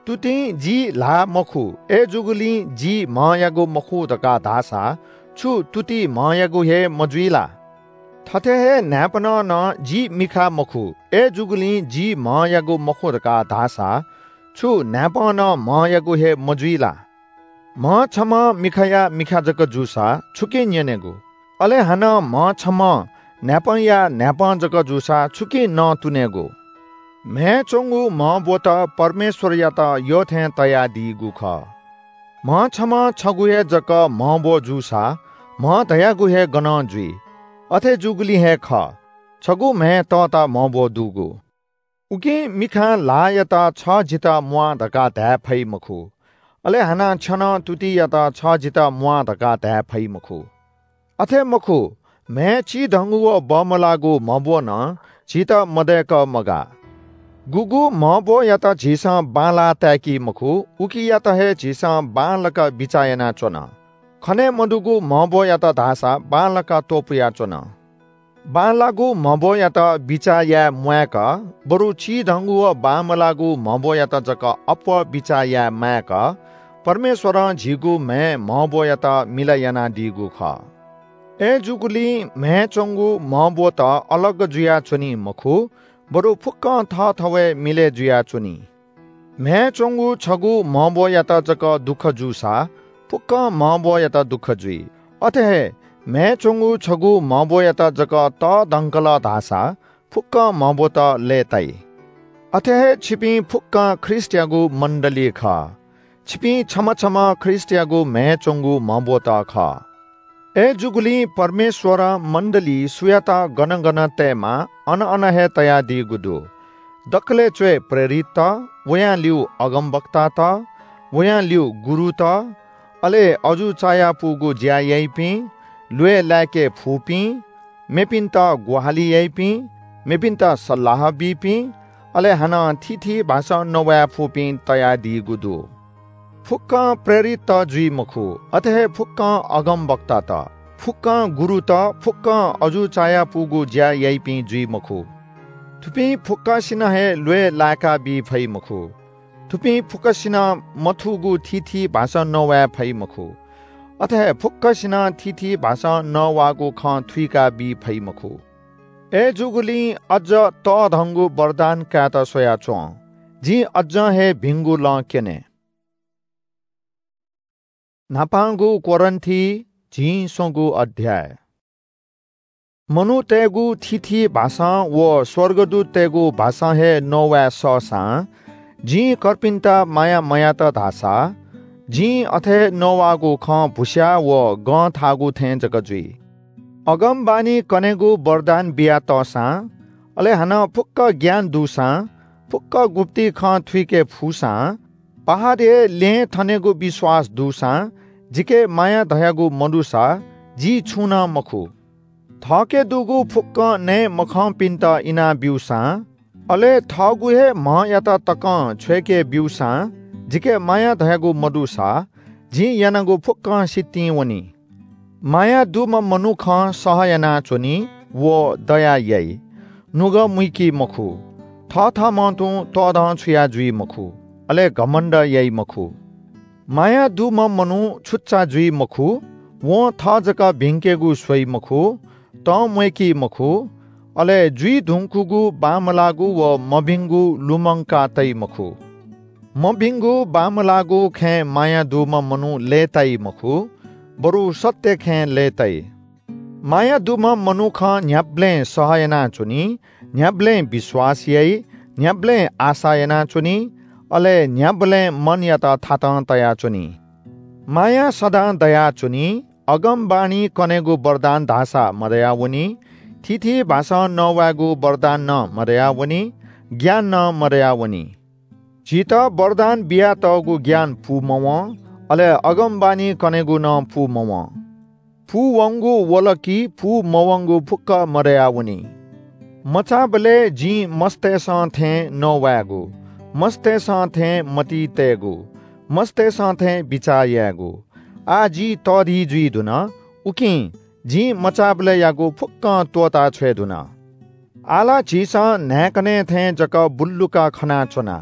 तुतिं जि ल्हाः मखु, अय्‌जूगुलिं जि म्हयागु मखु धकाः धाःसा छु तुति म्हयागु हे मजुइ ला? थथे हे न्हाय्‌पनं नं जि मिखा मखु, अय्‌जूगुलिं जि म्हयागु मखु धकाः धाःसा छु न्हाय्‌पं नं म्हयागु हे मजुइ ला? म्ह छम्हं मिखाया मिखा जक जूसा छुकिं न्यनेगु? अले हानं म्ह छम्हं न्हाय्‌पंया न्हाय्‌पं जक जूसा छुकिं नँ तुनेगु? म्हय् च्वंगु म्हब्वत परमेश्वरयात यःथें तयादीगु खः। म्ह छम्हं छगू हे जक म्हब्व जूसा म्ह धयागु हे गनं जुइ? अथे जूगुलिं हे खः, छगू म्हय् तःता म्हब्व दुगु। उकिं मिखां ल्हाःयात छ जितः म्वाः धकाः धाये फइ मखु, अले हानं छ्यनं तुतियात छ जितः म्वाः धकाः धाये फइ मखु। अथे मखु, म्हय् चिधंगु व बमलाःगु म्हब्व नं झीत मदय्‌क मगाः। गुगु म्हब्वयात झीसं बांलाः ताय्‌की मखु, उकियात हे झीसं बांलाक बिचाः यानाच्वन। खने मदुगु म्हब्वयात धाःसा बांलाक त्वपुयाच्वन। बांलाःगु म्हब्वयात बिचाः याये म्वाय्‌क, बरु चिधंगु व बांमलाःगु म्हब्वयात जक अप्वः बिचाः याये माय्‌क, परमेश्वरं झीगु म्हय् म्हब्वयात मिलय् यानादीगु खः। अय्‌जूगुलिं म्हय् च्वंगु म्हब्वत अलग जुयाच्वनी मखु, बरु फुक्कं थःथवय् मिलय् जुयाच्वनी। म्हय् च्वंगु छगू म्हब्वयात जक दुःख जूसा फुक्कं म्हब्वयात दुःख जुइ। अथे हे म्हय् च्वंगु छगू म्हब्वयात जक तःधंकल धाःसा फुक्कं म्हब्वत लय्‌ताइ। अथे हे छिपिं फुक्कं ख्रीष्टयागु मण्डली खः। छिपिं छम्ह छम्ह ख्रीष्टयागु म्हय् च्वंगु म्हब्वत खः। अय्‌जूगुलिं परमेश्वरं मण्डली सुयात गन गन तयेमाः, अन अन हे तयादीगु दु। दकलय् च्वय् प्रेरितत, वयां ल्यू अगमवक्तात, वयां ल्यू गुरुत, अले अजू चायापुगु ज्या याइपिं, ल्वय् लाय्‌के फुपिं, मेपिन्त ग्वाहालि याइपिं, मेपिन्त सल्लाह बीपिं, अले हानं थीथी भाषां नवाये फुपिं तयादीगु दु। फुक्कं प्रेरितत जुइ मखु, अथे हे फुक्कं अगमवक्तात, फुक्कं गुरुत, फुक्कं अजू चायापुगु ज्या याइपिं जुइ मखु। थुपिं फुक्कसिनं हे ल्वय् लाय्‌का बी फइ मखु। थुपिं फुक्कसिनं मथूगु थीथी भाषां नवाये फइ मखु। अथे हे फुक्कसिनं थीथी भाषां नवाःगु खँ थुइका बी फइ मखु। अय्‌जूगुलिं अज्ज तःधंगु वरदान कायेत स्वयाच्वँ। जिं अज्जं हे भिंगु लँ क्यने। न्हापांगु कोरिन्थी, झिंस्वंगू अध्याय। मनूतय्‌गु थीथी भाषां व स्वर्गदूततय्‌गु भाषां हे नवाये सःसां, जिं कर्पिन्त माया मयात धाःसा, जिं अथे नवाःगु खँ भुस्या व गं थाःगु थें जक जुइ। अगमवाणी कनेगु वरदान बियातःसां, अले हानं फुक्क ज्ञान दुसां, फुक्क गुप्ति खँ थुइके फुसां, पहाडय् लँय् थनेगु विश्वास दुसां, जिके माया धयागु मदुसा, जि छुं नं मखु। थःके दुगु फुक्कं नये मखंपिन्त इनाब्यूसां, अले थःगु हे म्हयात तकं छ्वय्‌के ब्यूसां, जिके माया धयागु मदुसा, जिं यानागु फुक्कं सितिं वनी। माया दुम्ह मनुखं सह यानाच्वनी व दया याइ। नुगः मुइकी मखु, थःथःम्हं तुं तःधंछुया जुइ मखु, अले घमण्ड याइ मखु। माया दुम्ह मनू छुच्चा जुइ मखु, वं थः जक भिंकेगु स्वइ मखु, तं म्वय्‌की मखु, अले जुइ धुंकूगु बांमलाःगु व मभिंगु लुमंका तइ मखु। मभिंगु बांमलाःगु खँय् माया दुम्ह मनू लय्‌ताइ मखु, बरु सत्य खँय् लय्‌ताइ। माया दुम्ह मनुखं न्ह्याबलें सह यानाच्वनी, न्ह्याबलें विश्वास याइ, न्ह्याबलें आशा यानाच्वनी, अले न्ह्याबलें मनयात थातं तयाच्वनी। माया सदां दयाच्वनी। अगमवाणी कनेगु वरदान धाःसा मदयावनी, थीथी भाषां नवायेगु वरदान नं मदयावनी, ज्ञान नं मदयावनी। झीत वरदान बियातःगु ज्ञान पूमवं, अले अगमवाणी कनेगु नं पूमवं। पूवंगु वल कि पूमवंगु फुक्क मदयावनी। मचाबलय् जिं मस्तय्‌सं थें नवायेगु, मस्तय्‌सं थें मतिइ तयेगु, मस्तय्‌सं थें बिचाः यायेगु। आः जि तःधि जुइ धुन, उकिं जिं मचाबलय्‌यागु फुक्कं त्वःता छ्वये धुन। आः ला झीसं न्हाय्‌कनय् थें जक बुल्लुक खनाच्वना।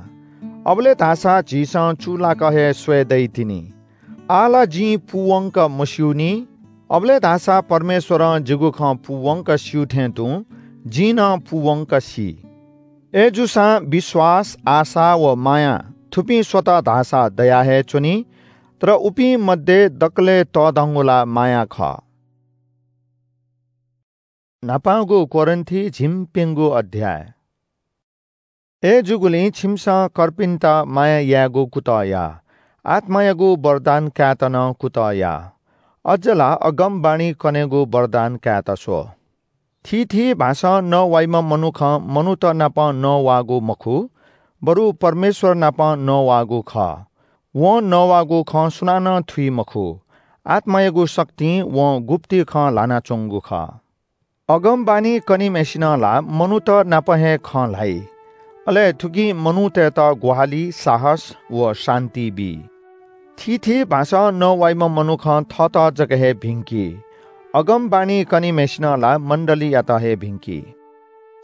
अबलय् धाःसा झीसं चूलाक हे स्वये दइ तिनि। आः ला जिं पूवंक मस्यूनि, अबलय् धाःसा परमेश्वरं जिगु खँ पूवंक स्यू थें तुं जिं नं पूवंक सी। अय्‌जूसां विश्वास, आशा व माया थुपिं स्वत धाःसा दया हे च्वनी, तर उपिं मध्ये दकलय् तःधंगु ला माया खः। न्हापांगु कोरिन्थी झिंप्यंगू अध्याय। अय्‌जूगुलिं छिमिसं कर्पिन्त माया यायेगु कुतः या, आत्मायागु वरदान कायेत नं कुतः या, अझ ला अगमवाणी कनेगु वरदान कायेत स्व। थीथी भाषां नवाइम्ह मनुखं मनूत नाप नवाःगु मखु, बरु परमेश्वर नाप नवाःगु खः। वं नवाःगु खँ सुनानं थुइ मखु। आत्मायागु शक्तिं वं गुप्ति खँ ल्हानाच्वंगु खः। अगमवाणी कनीम्हय्‌सिनं ला मनूत नाप हे खँ ल्हाइ, अले थुकिं मनूतय्‌त ग्वाहालि, साहस व शान्ति बी। थीथी भाषां नवाइम्ह मनुखं थःत जक हे भिंकी। अगमवाणी कनीम्हय्‌सिनं ला मण्डलीयात हे भिंकी।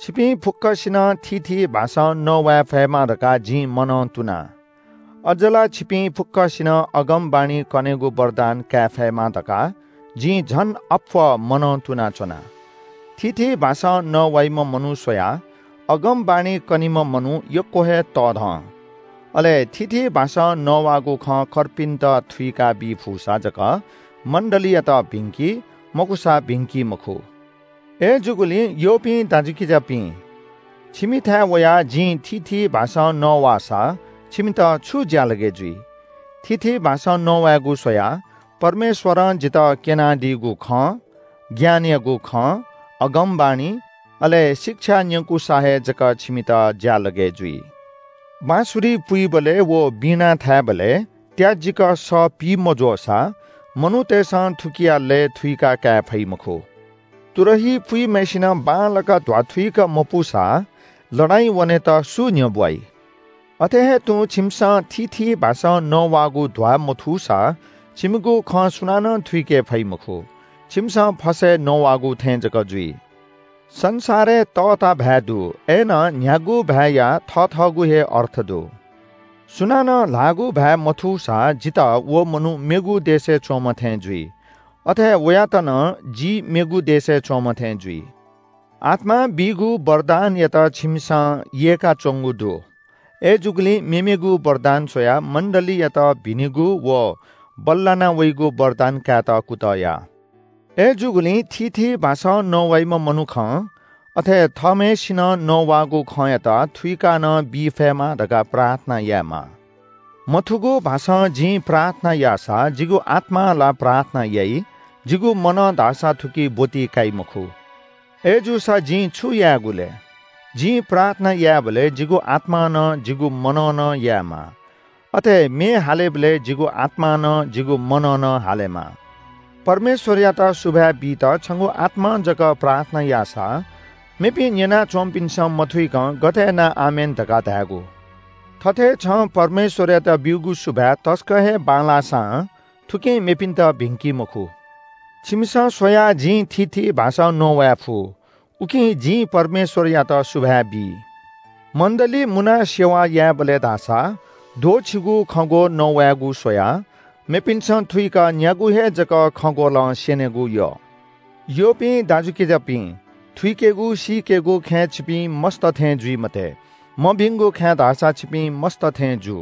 छिपिं फुक्कसिनं थीथी भाषां नवाये फयेमा धकाः जिं मनं तुना। अझ ला छिपिं फुक्कसिनं अगमवाणी कनेगु वरदान काये फयेमा धकाः जिं झन अप्वः मनं तुनाच्वना। थीथी भाषां नवाइम्ह मनू स्वयाः अगमवाणी कनीम्ह मनू यक्व हे तःधं। अले थीथी भाषां नवाःगु खँ कर्पिन्त थुइका बी फुसा जक मण्डलीयात भिंकी, मखुसा भिंकी मखु। अय्‌जूगुलिं यःपिं दाजुकिजापिं, छिमिथाय् वयाः जिं थीथी भाषां नवाःसा छिमित छु ज्यालगय् जुइ? थीथी भाषां नवायेगु स्वयाः परमेश्वरं जितः क्यनादीगु खँ, ज्ञानयागु खँ, अगमवाणी, अले शिक्षा न्यंकूसा हे जक छिमित ज्यालगय् जुइ। बाँसुरी पुइबलय् व वीणा थायेबलय् त्याजिक सः पी मज्वःसा मनूतय्‌सं थुकिया लय् थुइका काये फइ मखु। तुरही पुइम्हय्‌सिनं बांलाक ध्वाथुइक मपूसा लडाइँ वनेत सु न्ह्यब्वाइ? अथे हे तुं छिमिसं थीथी भाषां नवाःगु ध्वाः मथूसा छिमिगु खँ सुनानं थुइके फइ मखु। छिमिसं फसय् नवाःगु थें जक जुइ। संसारय् तःता भाय् दु, अय्‌नं न्ह्यागु भाय्‌या थथःगु हे अर्थ दु। सुनानं ल्हाःगु भाय् मथूसा जितः व मनू मेगु देशय् च्वंम्ह थें जुइ। अथे वयात नं जि मेगु देशय् च्वंम्ह थें जुइ। आत्मां बीगु वरदानयात छिमिसं यय्‌काच्वंगु दु। अय्‌जूगुलिं मेमेगु वरदान स्वयाः मण्डलीयात भिनेगु व बल्लाना वइगु वरदान कायेत कुतः या। अय्‌जूगुलिं थीथी भाषां नवाइम्ह मनुखं अथे थःम्हय्‌सिनं नवाःगु खँयात थुइका नं बी फयेमा धकाः प्रार्थना यायेमाः। मथूगु भाषां जिं प्रार्थना याःसा जिगु आत्मां ला प्रार्थना याइ, जिगु मनं धाःसा थुकी ब्वति काइ मखु। अय्‌जूसा जिं छु यायेगु ले? जिं प्रार्थना यायेबलय् जिगु आत्मां नं जिगु मनं नं यायेमाः। अथे म्ये हालेबलय् जिगु आत्मां नं जिगु मनं नं हालेमाः। परमेश्वरयात सुभाय् बीत छंगु आत्मां जक प्रार्थना याःसा मेपिं न्यनाच्वंपिन्सं मथुइकं गथे यानाः आमेन धकाः धायेगु? थथे छं परमेश्वरयात ब्यूगु सुभाय् तसकं हे बांलाःसां थुकिं मेपिन्त भिंकी मखु। छिमिसं स्वयाः जिं थीथी भाषां नवाये फु, उकिं जिं परमेश्वरयात सुभाय् बी। मण्डली मुनाः सेवा यायेबलय् धाःसा द्वःछिगू खँग्वः नवायेगु स्वयाः मेपिन्सं थुइक न्यागू हे जक खँग्वलं स्यनेगु यः। यःपिं दाजुकिजापिं, थुइकेगु सीकेगु खँय् छिपिं मस्त थें जुइ मते। मभिंगु खँय् धाःसा छिपिं मस्त थें जु।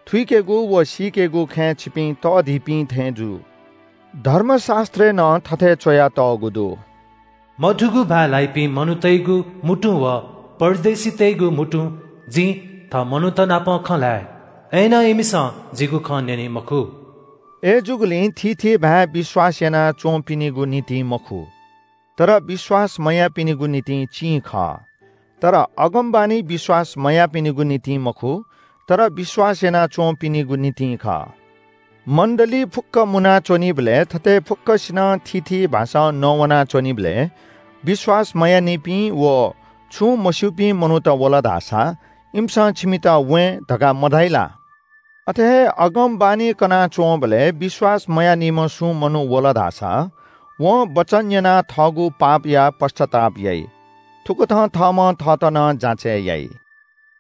थुइकेगु व सीकेगु खँय् छिपिं तःधिपिं थें जु। धर्मशास्त्रय् नं थथे च्वयातःगु दु, मथूगु भाय् ल्हाइपिं मनूतय्‌गु म्हुतुं व परदेशीतय्‌गु म्हुतुं जिं थः मनूत नाप खँ ल्हाये, अय्‌नं इमिसं जिगु खँ न्यनी मखु। अय्‌जूगुलिं थीथी भाय् विश्वास यानाच्वंपिनिगु निंतिं मखु, तर विश्वास मयाःपिनिगु निंतिं चिं खः। तर अगमवाणी विश्वास मयाःपिनिगु निंतिं मखु, तर विश्वास यानाच्वंपिनिगु निंतिं खः। मण्डली फुक्क मुनाच्वनीबलय् थथे फुक्कसिनं थीथी भाषां नवानाच्वनीबलय् विश्वास मयाःनिपिं व छुं मस्यूपिं मनूत वल धाःसा इमिसं छिमित वें धकाः मधाइ ला? अथे हे अगमवाणी कनाच्वंबलय् विश्वास मयाःनिम्ह सुं मनू वल धाःसा वं वचन न्यनाः थःगु पापया पश्चाताप याइ। थुकथं थःम्हं थःत नं जाँचय् याइ।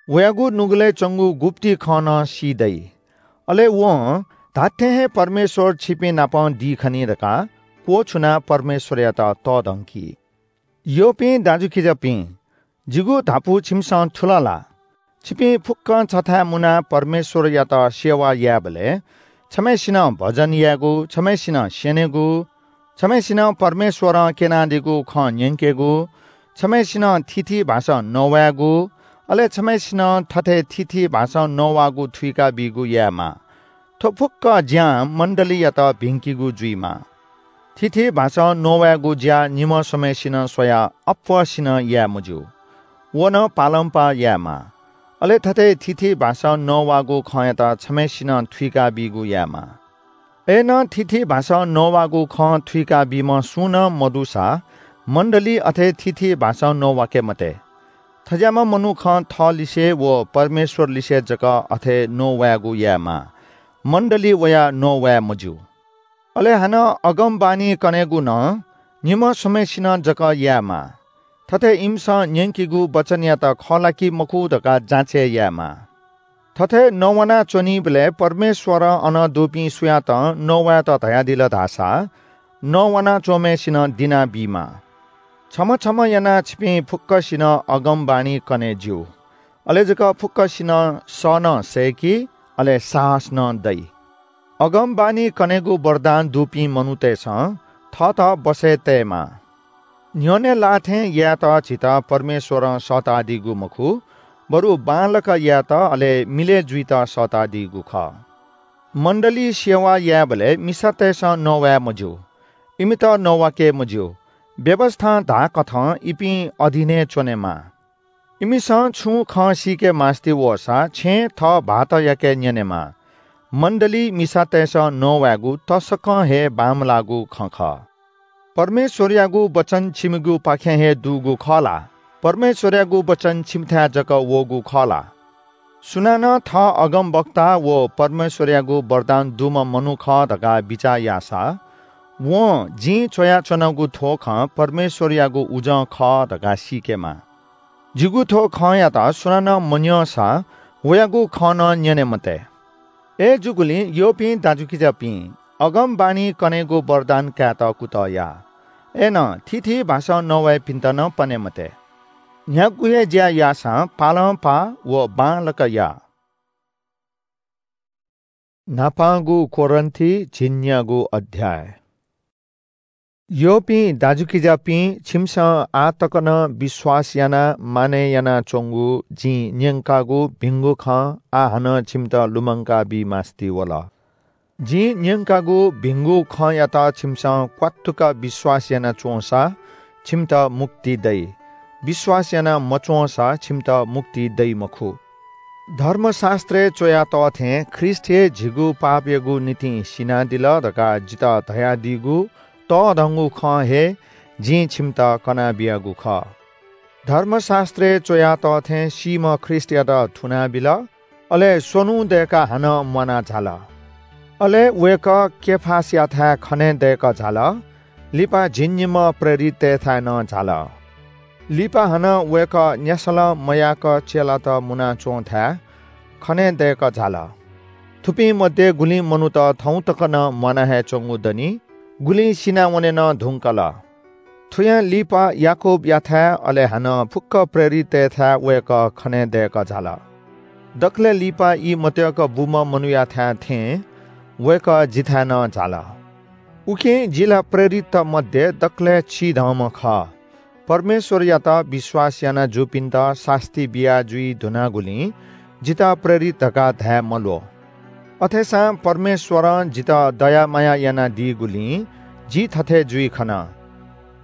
वयागु नुगलय् च्वंगु गुप्ति खँ नं सी दइ। अले वं धात्थें हे परमेश्वर छिपिं नाप दी खनी धकाः क्वछुनाः परमेश्वरयात तःधंकी। यःपिं दाजुकिजापिं, जिगु धापू छिमिसं थुल ला? छिपिं फुक्कं छथाय् मुनाः परमेश्वरयात सेवा यायेबलय् छम्हय्सिनं भजन यायेगु, छम्हय्सिनं स्यनेगु, छम्हय्सिनं परमेश्वरं क्यनादीगु खँ न्यंकेगु, छम्हय्सिनं थीथी भाषां नवायेगु, अले छम्हय्सिनं थथे थीथी भाषां नवाःगु थुइका बीगु यायेमाः। थ्व फुक्क ज्यां मण्डलीयात भिंकीगु जुइमाः। थीथी भाषां नवायेगु ज्या निम्ह स्वम्हय्सिनं स्वयाः अप्वःसिनं याये मज्यू। व नं पालंपाः यायेमाः। अले थथे थीथी भाषां नवाःगु खँयात छम्हय्सिनं थुइका बीगु यायेमाः। अय्नं थीथी भाषां नवाःगु खँ थुइका बीम्ह सुं नं मदुसा मण्डली अथे थीथी भाषां नवाके मते। थज्याःम्ह मनुखं थःलिसे व परमेश्वरलिसे जक अथे नवायेगु यायेमाः, मण्डली वयाः नवाये मज्यू। अले हानं अगमवाणी कनेगु नं निम्ह स्वम्हय्सिनं जक यायेमाः। थथे इमिसं न्यंकीगु वचनयात खः ला कि मखु धकाः जाँचय् यायेमाः। थथे नवाना च्वनीबलय् परमेश्वरं अन दुपिं सुयातं नवायेत धयादिल धाःसा नवाना च्वंम्हय्सिनं दिना बीमाः। छम्ह छम्ह यानाः छिपिं फुक्कसिनं अगमवाणी कने ज्यू। अले जक फुक्कसिनं सः नं सय्की, अले साहस नं दइ। अगमवाणी कनेगु वरदान दुपिं मनूतय्सं थःत बसय् तयेमाः। न्ह्यःने लाः थें यायेत झीत परमेश्वरं सःतादीगु मखु, बरु बांलाक यायेत अले मिलय् जुइत सःतादीगु खः। मण्डली सेवा यायेबलय् मिसातय्सं नवाये मज्यू, इमित नवाके मज्यू। व्‍यवस्‍थां धाःकथं इपिं अधीनय् च्‍वनेमाः। इमिसं छुं खँ सीके मास्‍ति वःसा छेँय् थः भाःतयाके न्‍यनेमाः। मण्‍डलीइ मिसातय्सं नवायेगु तसकं हे बांमलाःगु खँ खः। परमेश्‍वरयागु वचन छिमिगुपाखें हे दुगु खः ला? परमेश्‍वरयागु वचन छिमिथाय् जक वःगु खः ला? सुनानं थः अगमवक्ता व परमेश्‍वरयागु वरदान दुम्‍ह मनू खः धकाः बिचाः याःसा, वं जिं च्‍वयाच्‍वनागु थ्‍व खँ परमेश्‍वरयागु उजं खः धकाः सीकेमाः। जिगु थ्‍व खँयात सुनानं मन्‍यंसा वयागु खँ नं न्‍यने मते। अय्‌जूगुलिं यःपिं दाजुकिजापिं, अगमवाणी कनेगु वरदान कायेत कुतः या। अय्‌नं थीथी भाषां नवाइपिन्‍त नं पने मते। न्‍ह्यागु हे ज्‍या याःसां पालंपाः व बांलाक या। न्‍हापांगु कोरिन्‍थी झिंन्‍यागू अध्‍याय। यःपिं दाजुकिजापिं, छिमिसं आः तक नं विश्‍वास यानाः मानय् यानाच्‍वंगु जिं न्‍यंकागु भिंगु खँ आः हानं छिमित लुमंका बी मास्‍ति वल। जिं न्‍यंकागु भिंगु खँयात छिमिसं क्‍वात्तुक विश्‍वास यानाच्‍वंसा छिमित मुक्ति दइ। विश्‍वास याना मच्‍वंसा छिमित मुक्ति दइ मखु। धर्मशास्‍त्रय् च्‍वया तः थें ख्रीष्‍ट हे झीगु पापयागु निंतिं सिनादिल धकाः जितः धयादीगु तःधंगु खँ हे जिं छिमित कनाबियागु खः। धर्मशास्‍त्रय् च्‍वया तः थें सीम्‍ह ख्रीष्‍टयात थुनाबिल, अले स्‍वन्‍हु दय्‌काः हानं म्‍वाना झाल। अले वय्‌कः केफासयाथाय् खने दय्‌कः झाल, लिपा झिंनिम्‍ह प्रेरिततय्‌थाय् नं झाल। लिपा हानं वय्‌कः न्‍यासलं मयाक चेलात मुनाच्‍वंथाय् खने दय्‌कः झाल। थुपिं मध्ये गुलिं मनूत थौं तक नं म्‍वाना हे च्‍वंगु दनि, गुलिं सिनावने नं धुंकल। थुयां लिपा याकूबयाथाय्, अले हानं फुक्‍क प्रेरिततय्‌थाय् वय्‌कः खने दय्‌कः झाल। दकलय् लिपा ई मतय्‌क बूम्‍ह मनूयाथाय् थें वय्‌कः जिथाय् नं झाल। उकिं जि ला प्रेरितत मध्ये दकलय् चिधंम्‍ह खः। परमेश्‍वरयात विश्‍वास याना जूपिन्‍त सास्‍ती बिया जुइ धुनागुलिं जितः प्रेरित धकाः धाये मल्‍वः। अथेसां परमेश्‍वरं जितः दया माया यानादीगुलिं जि थथे जुइ खन।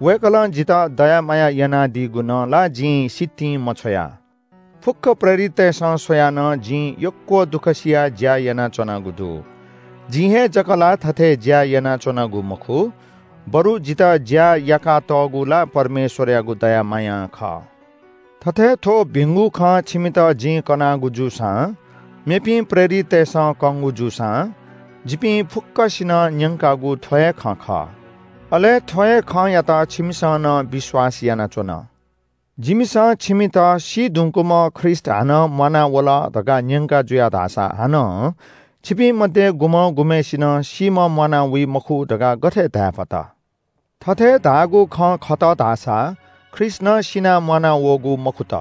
वय्‌कलं जितः दया माया यानादीगु नं ला जिं सितिं मछ्वया। फुक्‍क प्रेरिततय्‌सं स्‍वयाः नं जिं यक्‍व दुःख सियाः ज्‍या यानाच्‍वनागु दु। जिं हे जक ला थथे ज्‍या यानाच्‍वनागु मखु, बरु जितः ज्‍या याकातःगु ला परमेश्‍वरयागु दया मायां खः। थथे थ्‍व भिंगु खँ छिमित जिं कनागु जूसां, मेपिं प्रेरिततय्‌सं कंगु जूसां, जिपिं फुक्‍कसिनं न्‍यंकागु थ्‍व हे खँ खः। अले थ्‍व हे खँयात छिमिसं नं विश्‍वास यानाच्‍वन। जिमिसं छिमित सी धुंकूम्‍ह ख्रीष्‍ट हानं म्‍वाना वल धकाः न्‍यंका जुया धाःसा हानं छिपिं मध्ये गुम्‍हं गुम्‍हय्‌सिनं सीम्‍ह म्‍वाना वइ मखु धकाः गथे धाये फत? थथे धाःगु खँ खत धाःसा ख्रीष्ट नं सिनाः म्वाना वःगु मखुत।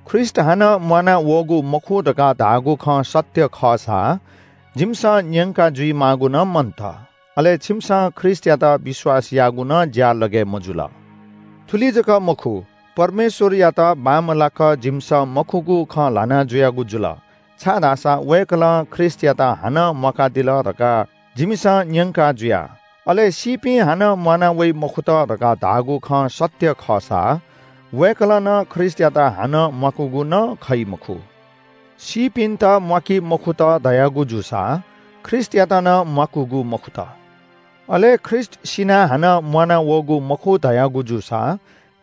ख्रीष्ट हानं म्वाना वःगु मखु धकाः धाःगु खँ सत्य खःसा जिमिसं न्यंका जुइमाःगु नं मन्त। अले छिमिसं ख्रीष्टयात विश्वास याःगु नं ज्या लगे मजुल। थुलि जक मखु, परमेश्वरयात बांमलाक जिमिसं मखुगु खँ ल्हाना जुयागु जुल, छाय्धाःसा वय्कलं ख्रीष्टयात हानं म्वाकादिल धकाः जिमिसं न्यंका जुया। अले सीपिं हानं म्वाना वइ मखुत धकाः धाःगु खँ सत्य खःसा वय्कलं नं ख्रीष्टयात हानं म्वाकूगु नं खइ मखु। सीपिन्त म्वाकी मखुत धयागु जूसा ख्रीष्टयात नं म्वाकूगु मखुत। अले ख्रीष्ट सिनाः हानं म्वाना वःगु मखु धयागु जूसा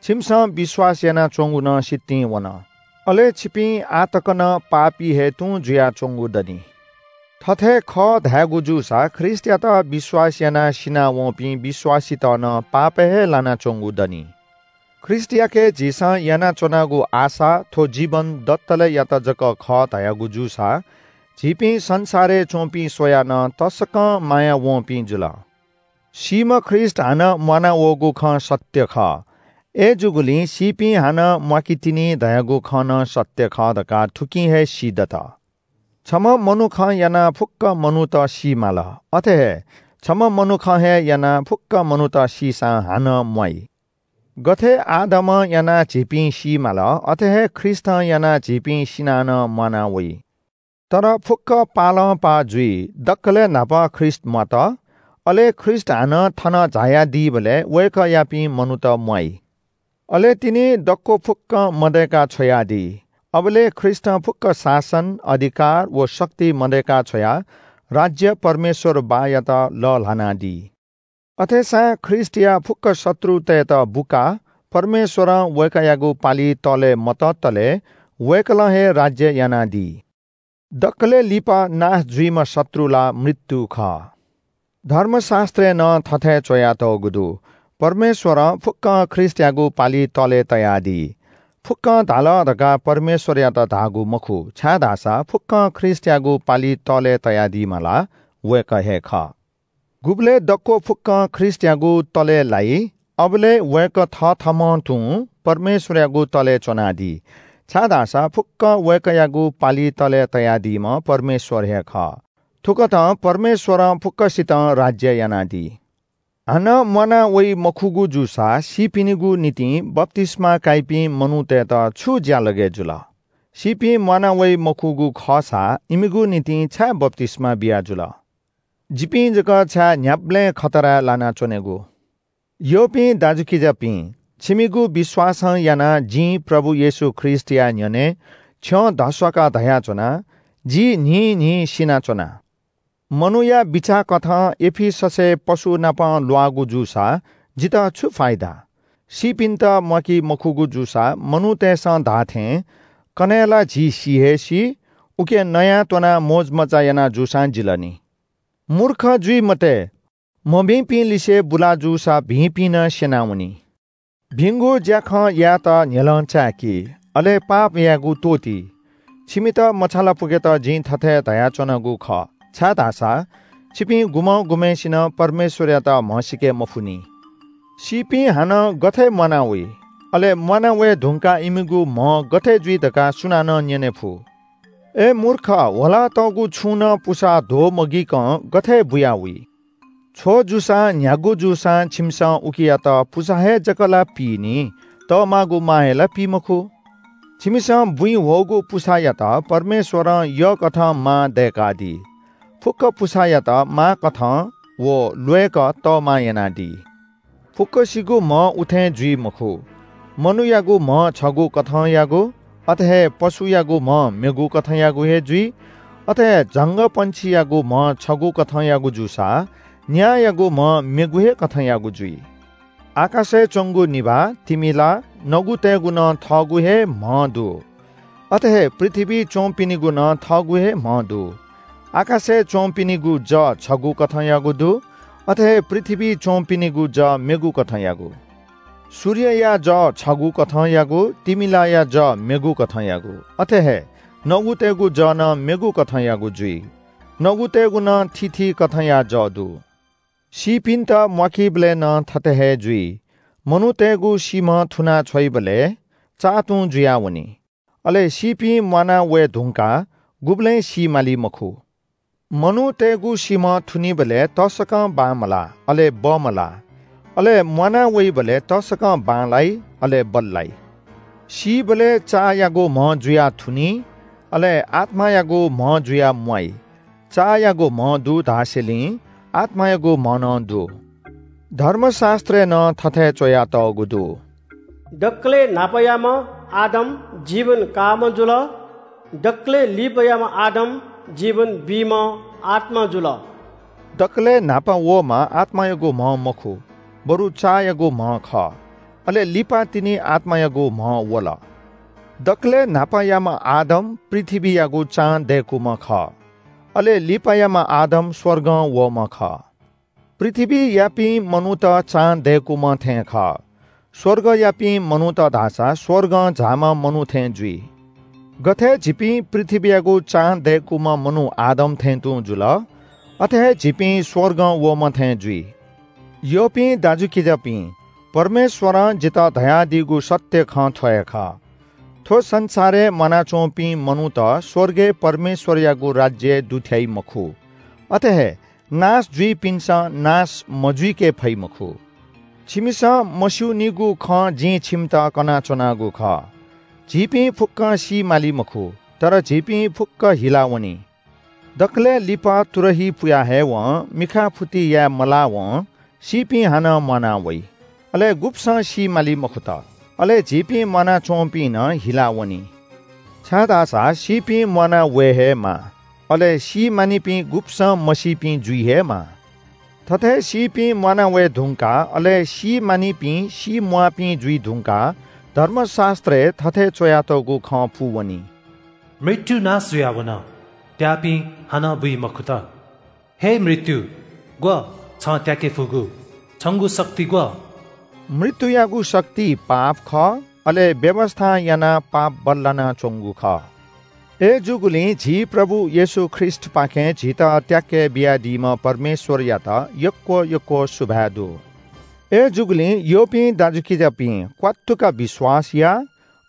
छिमिसं विश्वास यानाच्वंगु नं सितिं वन। अले छिपिं आः तक नं पापी हे तुं जुयाच्वंगु दनि। थथे खः धायेगु जूसा ख्रीष्टयात विश्वास यानाः सिनावंपिं विश्वासीत नं पापय् हे लानाच्वंगु दनि। ख्रीष्टयाके झीसं यानाच्वनागु आशा थ्व जीवन दतले यात जक खः धयागु जूसा झीपिं संसारय् च्वंपिं स्वयाः नं तसकं माया वंपिं जुल। सीम्ह ख्रीष्ट हानं म्वाना वःगु खँ सत्य खः। अय्जूगुलिं सीपिं हानं म्वाकी तिनि धयागु खँ नं सत्य खः धकाः थुकिं हे सीदत। छम्ह मनुखं यानाः फुक्क मनूत सी माल, अथे हे छम्ह मनुखं हे यानाः फुक्क मनूत सीसां हानं म्वाइ। गथे आदमं यानाः झीपिं सी माल, अथे हे ख्रीष्टं यानाः झीपिं सिनाः नं म्वाना वइ। तर फुक्क पालंपाः जुइ। दकलय् न्हापा ख्रीष्ट म्वात, अले ख्रीष्ट हानं थन झायादीबलय् वय्कःयापिं मनूत म्वाइ। अले तिनि दक्व फुक्कं मदय्का छ्वयादी। अबलय् ख्रीष्टं फुक्क शासन, अधिकार व शक्ति मदय्का छ्वयाः राज्य परमेश्वर बाःयात लःल्हानादी। अथेसां ख्रीष्टया फुक्क शत्रुतय्त बुकाः परमेश्वरं वय्कःयागु पालि तःले मततले वय्कलं हे राज्य यानादी। दकलय् लिपा नाश जुइम्ह शत्रु ला मृत्यु खः। धर्मशास्त्रय् नं थथे च्वयातःगु दु, परमेश्वरं फुक्कं ख्रीष्टयागु पालि तःले तयादी। फुक्कं धाल धकाः परमेश्वरयात धाःगु मखु, छाय्धाःसा फुक्कं ख्रीष्टयागु पालि तःले तयादीम्ह ला वय्कः हे खः। गुबलय् दक्व फुक्कं ख्रीष्टयागु तलय् लाइ, अबलय् वय्कः थथःम्हं तुं परमेश्वरयागु तलय् च्वनादी, छाय्धाःसा फुक्कं वय्कःयागु पालि तलय् तयादीम्ह परमेश्वर हे खः। थुकथं परमेश्वरं फुक्कसितं राज्य यानादी। हानं म्वाना वइ मखुगु जूसा सीपिनिगु निंतिं बप्तिस्मा काइपिं मनूतय्त छु ज्यालगय् जुल? सीपिं म्वाना वइ मखुगु खःसा इमिगु निंतिं छाय् बप्तिस्मा बिया जुल? जिपिं जक छाय् न्ह्याबलें खतराय् लानाच्वनेगु? यःपिं दाजुकिजापिं, छिमिगु विश्वासं यानाः जिं प्रभु येशू ख्रीष्टया न्ह्यःने छ्यं धस्वाकाः धयाच्वना, जि न्हिं न्हिं सिनाच्वना। मनूया बिचाः कथं एफिससय् पशु नाप ल्वाःगु जूसा जितः छु फाइदा? सीपिन्त म्वाकी मखुगु जूसा मनूतय्सं धाःथें, कन्हय् ला झी सी हे सी, उकी नयाः त्वनाः मोजमज्जा याना जूसां जिल नि। मूर्ख जुइ मते, मभिंपिं लिसे बुला जूसा भिंपिं नं स्यनावनी। भिंगु ज्याखँ यायेत न्ह्यलं चाय्की, अले पाप यायेगु त्वःती। छिमित मछालापुकेत जिं थथे धयाच्वनागु खः, छाय्धाःसा छिपिं गुम्हं गुम्हय्सिनं परमेश्वरयात म्हसीके मफुनि। सीपिं हानं गथे म्वाना वइ? अले म्वाना वये धुंकाः इमिगु म्ह गथे जुइ धकाः सुनानं न्यने फु? अय् मूर्ख, ह्वलातःगु छुं नं पुसा ध्वमगीकं गथे बुया वइ? छ्व जूसां न्ह्यागु जूसां छिमिसं उकियात पुसा हे जक ला पीनि, तःमागु मां हे ला पी मखु? छिमिसं बुँइ ह्वःगु पुसायात परमेश्वरं यःकथं मां दय्कादी। फुक्क पुसायात मांकथं व ल्वय्क तःमां यानादी। फुक्कसिगु म्ह उथें जुइ मखु। मनूयागु म्ह छगू कथंयागु, अथे हे पशुयागु म्ह मेगु कथंयागु हे जुइ। अथे हे झंगःपंक्षीयागु म्ह छगू कथंयागु जूसा न्यायायागु म्ह मेगु हे कथंयागु जुइ। आकाशय् च्वंगु निभाः, तिमिला, नगुतय्गु नं थःगु हे म्ह दु। अथे हे पृथ्वीइ च्वंपिनिगु नं थःगु हे म्ह दु। आकाशय् च्वंपिनिगु जः छगू कथंयागु दु, अथे हे पृथ्वीइ च्वंपिनिगु जः मेगु कथंयागु। सूर्यया जः छगू कथंयागु, तिमिलाया जः मेगु कथंयागु। अथे हे नगुतय्गु जः नं मेगु कथंयागु जुइ। नगुतय्गु नं थीथी कथंया जः दु। सीपिन्त म्वाकीबलय् नं थथे हे जुइ। मनूतय्गु सीम्ह थुना छ्वइबलय् चाः तुं जुयावनी। अले सीपिं म्वाना वये धुंकाः गुबलें सी माली मखु। मनूतय्गु सीम्ह थुनीबलय् तसकं बांमलाः, अले बमलाः। अले म्वाना वइबलय् तसकं बांलाइ, अले बल्लाइ। सीबलय् चाःयागु म्ह जुयाः थुनी, अले आत्मायागु म्ह जुयाः म्वाइ। चाःयागु म्ह दु धासेंलि आत्मायागु म्ह नं दु। धर्मशास्त्रय् नं थथे च्वयातःगु दु। दकलय् न्हापायाम्ह आदम जीवन काःम्ह जुल। दकलय् लिपायाम्ह आदम जीवन बीम्ह आत्मा जुल। दकलय् न्हापा वःम्ह आत्मायागु म्ह मखु, बरु चाःयागु म्ह खः। अले लिपा तिनि आत्मायागु म्ह वल। दकलय् न्हापायाम्ह आदम पृथ्वीयागु चां दय्कूम्ह खः। अले लिपायाम्ह आदम स्वर्गं वःम्ह खः। पृथ्वीयापिं मनूत चां दय्कूम्ह थें खः। स्वर्गयापिं मनूत धाःसा स्वर्गं झाःम्ह मनू थें जुइ। गथे झीपिं पृथ्वीयागु चां दय्कूम्ह मनू आदम थें तुं जुल, अथे हे झीपिं स्वर्गं वःम्ह थें जुइ। यःपिं दाजुकिजापिं, परमेश्वरं जितः धयादीगु सत्य खँ थ्व हे खः। थ्व संसारय् म्वानाच्वंपिं मनूत स्वर्गय् परमेश्वरयागु राज्यय् दुथ्याइ मखु। अथे हे नाश जुइपिन्सं नाश मजुइके फइ मखु। छिमिसं मस्यूनिगु खँ जिं छिमित कनाच्वनागु खः। झीपिं फुक्कं सी माली मखु, तर झीपिं फुक्क हिलावनी। दकलय् लिपा तुरही पुया हयेवं, मिखाफुति याये मलावं सीपिं हानं म्वाना वइ। अले गुब्सं सी माली मखुत, अले झीपिं म्वानाच्वंपिं नं हिलावनी। छाय्धाःसा सीपिं म्वाना वये हे माः, अले सी मानिपिं गुब्सं मसीपिं जुइ हे माः। थथे सीपिं म्वाना वये धुंकाः, अले सी मानिपिं सी म्वाःपिं जुइ धुंकाः धर्मशास्त्रय् थथे च्वयातःगु खँ पूवनी। मृत्यु नाश जुयावन, त्याःपिं हानं बुइ मखुत। हे मृत्यु, ग्व छं त्याके फुगु? छंगु शक्ति ग्व? मृत्युयागु शक्ति पाप खः, अले व्‍यवस्‍थां यानाः पाप बल्‍लानाच्‍वंगु खः। अय्‌जूगुलिं झी प्रभु येशू ख्रीष्‍टपाखें झीत त्याके बियादीम्‍ह परमेश्‍वरयात यक्‍व यक्‍व सुभाय् दु। अय्‌जूगुलिं यःपिं दाजुकिजापिं, क्‍वात्तुक विश्‍वास या,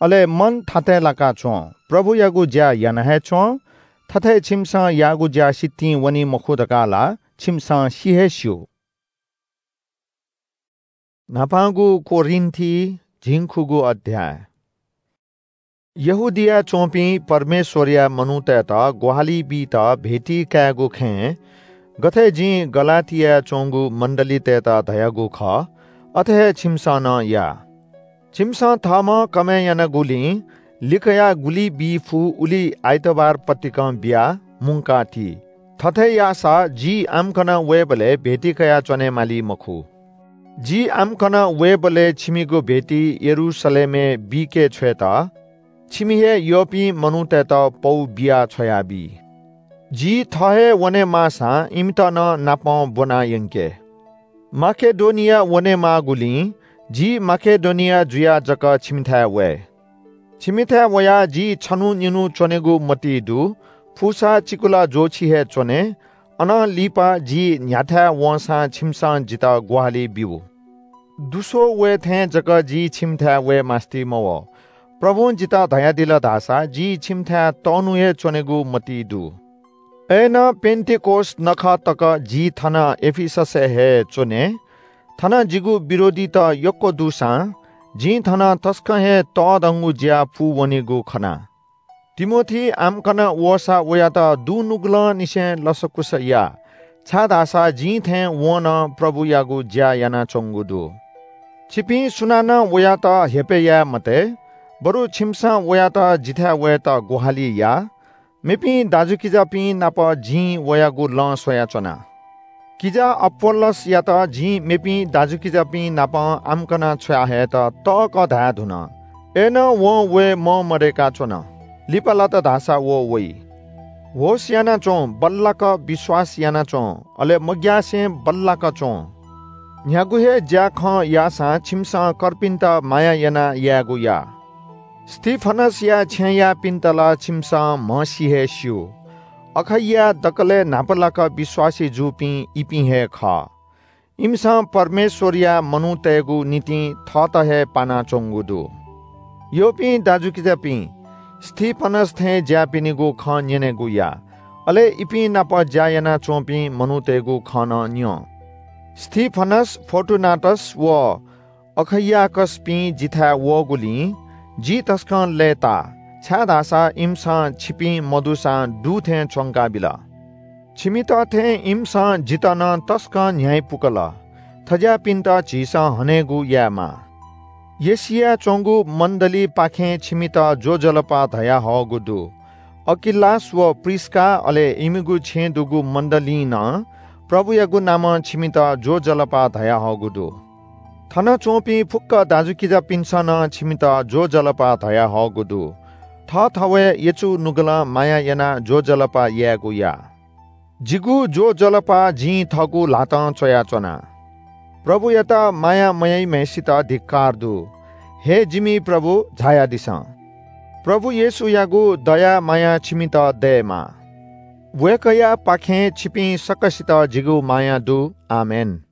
अले मन थातय् लाकाच्‍वँ, प्रभुयागु ज्‍या याना हे च्‍वँ। थथे छिमिसं याःगु ज्‍या सितिं वनी मखु धकाः ला छिमिसं सि हे स्‍यू। न्‍हापांगु कोरिन्‍थी, झिंखुगू अध्‍याय। यहूदियाय् च्‍वंपिं परमेश्‍वरया मनूतय्‌त ग्‍वाहालि बीत भेटी कायेगु खँय् गथे जिं गलातियाय् च्‍वंगु मण्‍डलीतय्‌त धयागु खः, अथे हे छिमिसं नं या। छिमिसं थःम्‍हं कमय् यानागुलिं लिकयाः गुलि बी फु उलि आइतबार पतिकं बियाः मुंका ति। थथे याःसा जि आम्‍कन वयेबलय् भेटी कयाच्‍वने माली मखु। जि आम्‍कन वयेबलय् छिमिगु भेटी यरूशलेमय् बीके छ्वयेत छिमि हे यःपिं मनूतय्‌त पौ बिया छ्वयाबी। जि थः हे वने माःसां इमित नं नापं ब्‍वना यंके। माकेडोनिया वने माःगुलिं जि माकेडोनिया जुयाः जक छिमिथाय् वये। छिमिथाय् वयाः जि छन्‍हु निन्‍हु च्‍वनेगु मतिइ दु, फुसा चिकुला ज्‍वःछि हे च्‍वने, अनं लिपा जि न्‍ह्याथाय् वंसां छिमिसं जितः ग्‍वाहालि ब्‍यु। दुस्‍वः वये थें जक जि छिमिथाय् वये मास्‍ति मवः। प्रभुं जितः धयादिल धाःसा जि छिमिथाय् तःन्‍हु हे च्‍वनेगु मतिइ दु। अय्‌नं पेन्‍तिकोस नखः तक जि थन एफिससय् हे च्‍वने। थन जिगु विरोधीत यक्‍व दुसां जिं थन तसकं हे तःधंगु ज्‍या पूवनीगु खना। तिमोथी आम्‍कन वःसा वयात दुनुगलंनिसें लसकुस या, छाय्‌धाःसा जिं थें वं नं प्रभुयागु ज्‍या यानाच्‍वंगु दु। छिपिं सुनानं वयात हेपय् याये मते, बरु छिमिसं वयात जिथाय् वयेत ग्‍वाहालि या। मेपिं दाजुकिजापिं नाप जिं वयागु लँ स्वयाच्‍वना। किजा अपोल्‍लोसयात जिं मेपिं दाजुकिजापिं नाप आम्‍कन छ्वया हयेत तःकः धाये धुन। अय्‌नं वं वये मंमदय्‌का च्‍वन। लिपा लात धाःसा व वइ। होश यानाच्‍वँ, बल्‍लाक विश्‍वास यानाच्‍वँ, अले मग्‍यासे बल्‍लाक च्‍वँ। न्‍ह्यागु हे ज्‍याखँ याःसां छिमिसं कर्पिन्‍त माया यानाः यायेगु या। स्‍तिफनसया छेँयापिन्‍त ला छिमिसं म्हसी हे स्‍यू। अखैयाय् दकलय् न्‍हापालाक विश्‍वासी जूपिं इपिं हे खः। इमिसं परमेश्वरया मनूतय्गु निंतिं थःत हे पानाच्वंगु दु। यःपिं दाजुकिजापिं, स्तिफनस थें ज्याःपिनिगु खँ न्यनेगु या, अले इपिं नाप ज्या यानाच्वंपिं मनूतय्गु खँ नं न्यँ। स्तिफनस, फोर्टुनाटस व अखैयाकसपिं जिथाय् वःगुलिं जि तसकं लय्ताः, छाय्धाःसा इमिसं छिपिं मदुसां दु थें च्वंकाबिल। छिमित थें इमिसं जितः नं तसकं न्ह्याइ पुकल। थज्याःपिन्त झीसं हनेगु यायेमाः। एशियाय् च्वंगु मण्डलीपाखें छिमित ज्वजलपा धयाहःगु दु। अकिलास व प्रिस्का, अले इमिगु छेँय् दुगु मण्डलीं नं प्रभुयागु नामं छिमित ज्वजलपा धयाहःगु दु। थन च्वंपिं फुक्क दाजुकिजापिन्सं नं छिमित ज्वजलपा धयाहःगु दु। थःथवय् यचु नुगलं माया यानाः ज्वजलपा यायेगु या। जिगु ज्वजलपा जिं थःगु ल्हातं च्वयाच्वना। प्रभुयात माया मयाइम्हय्सित धिक्‍कार दु। हे जिमि प्रभु, झायादिसँ। प्रभु येशूयागु दया माया छिमित दयेमा। वय्कःयापाखें छिपिं सकसित जिगु माया दु। आमेन।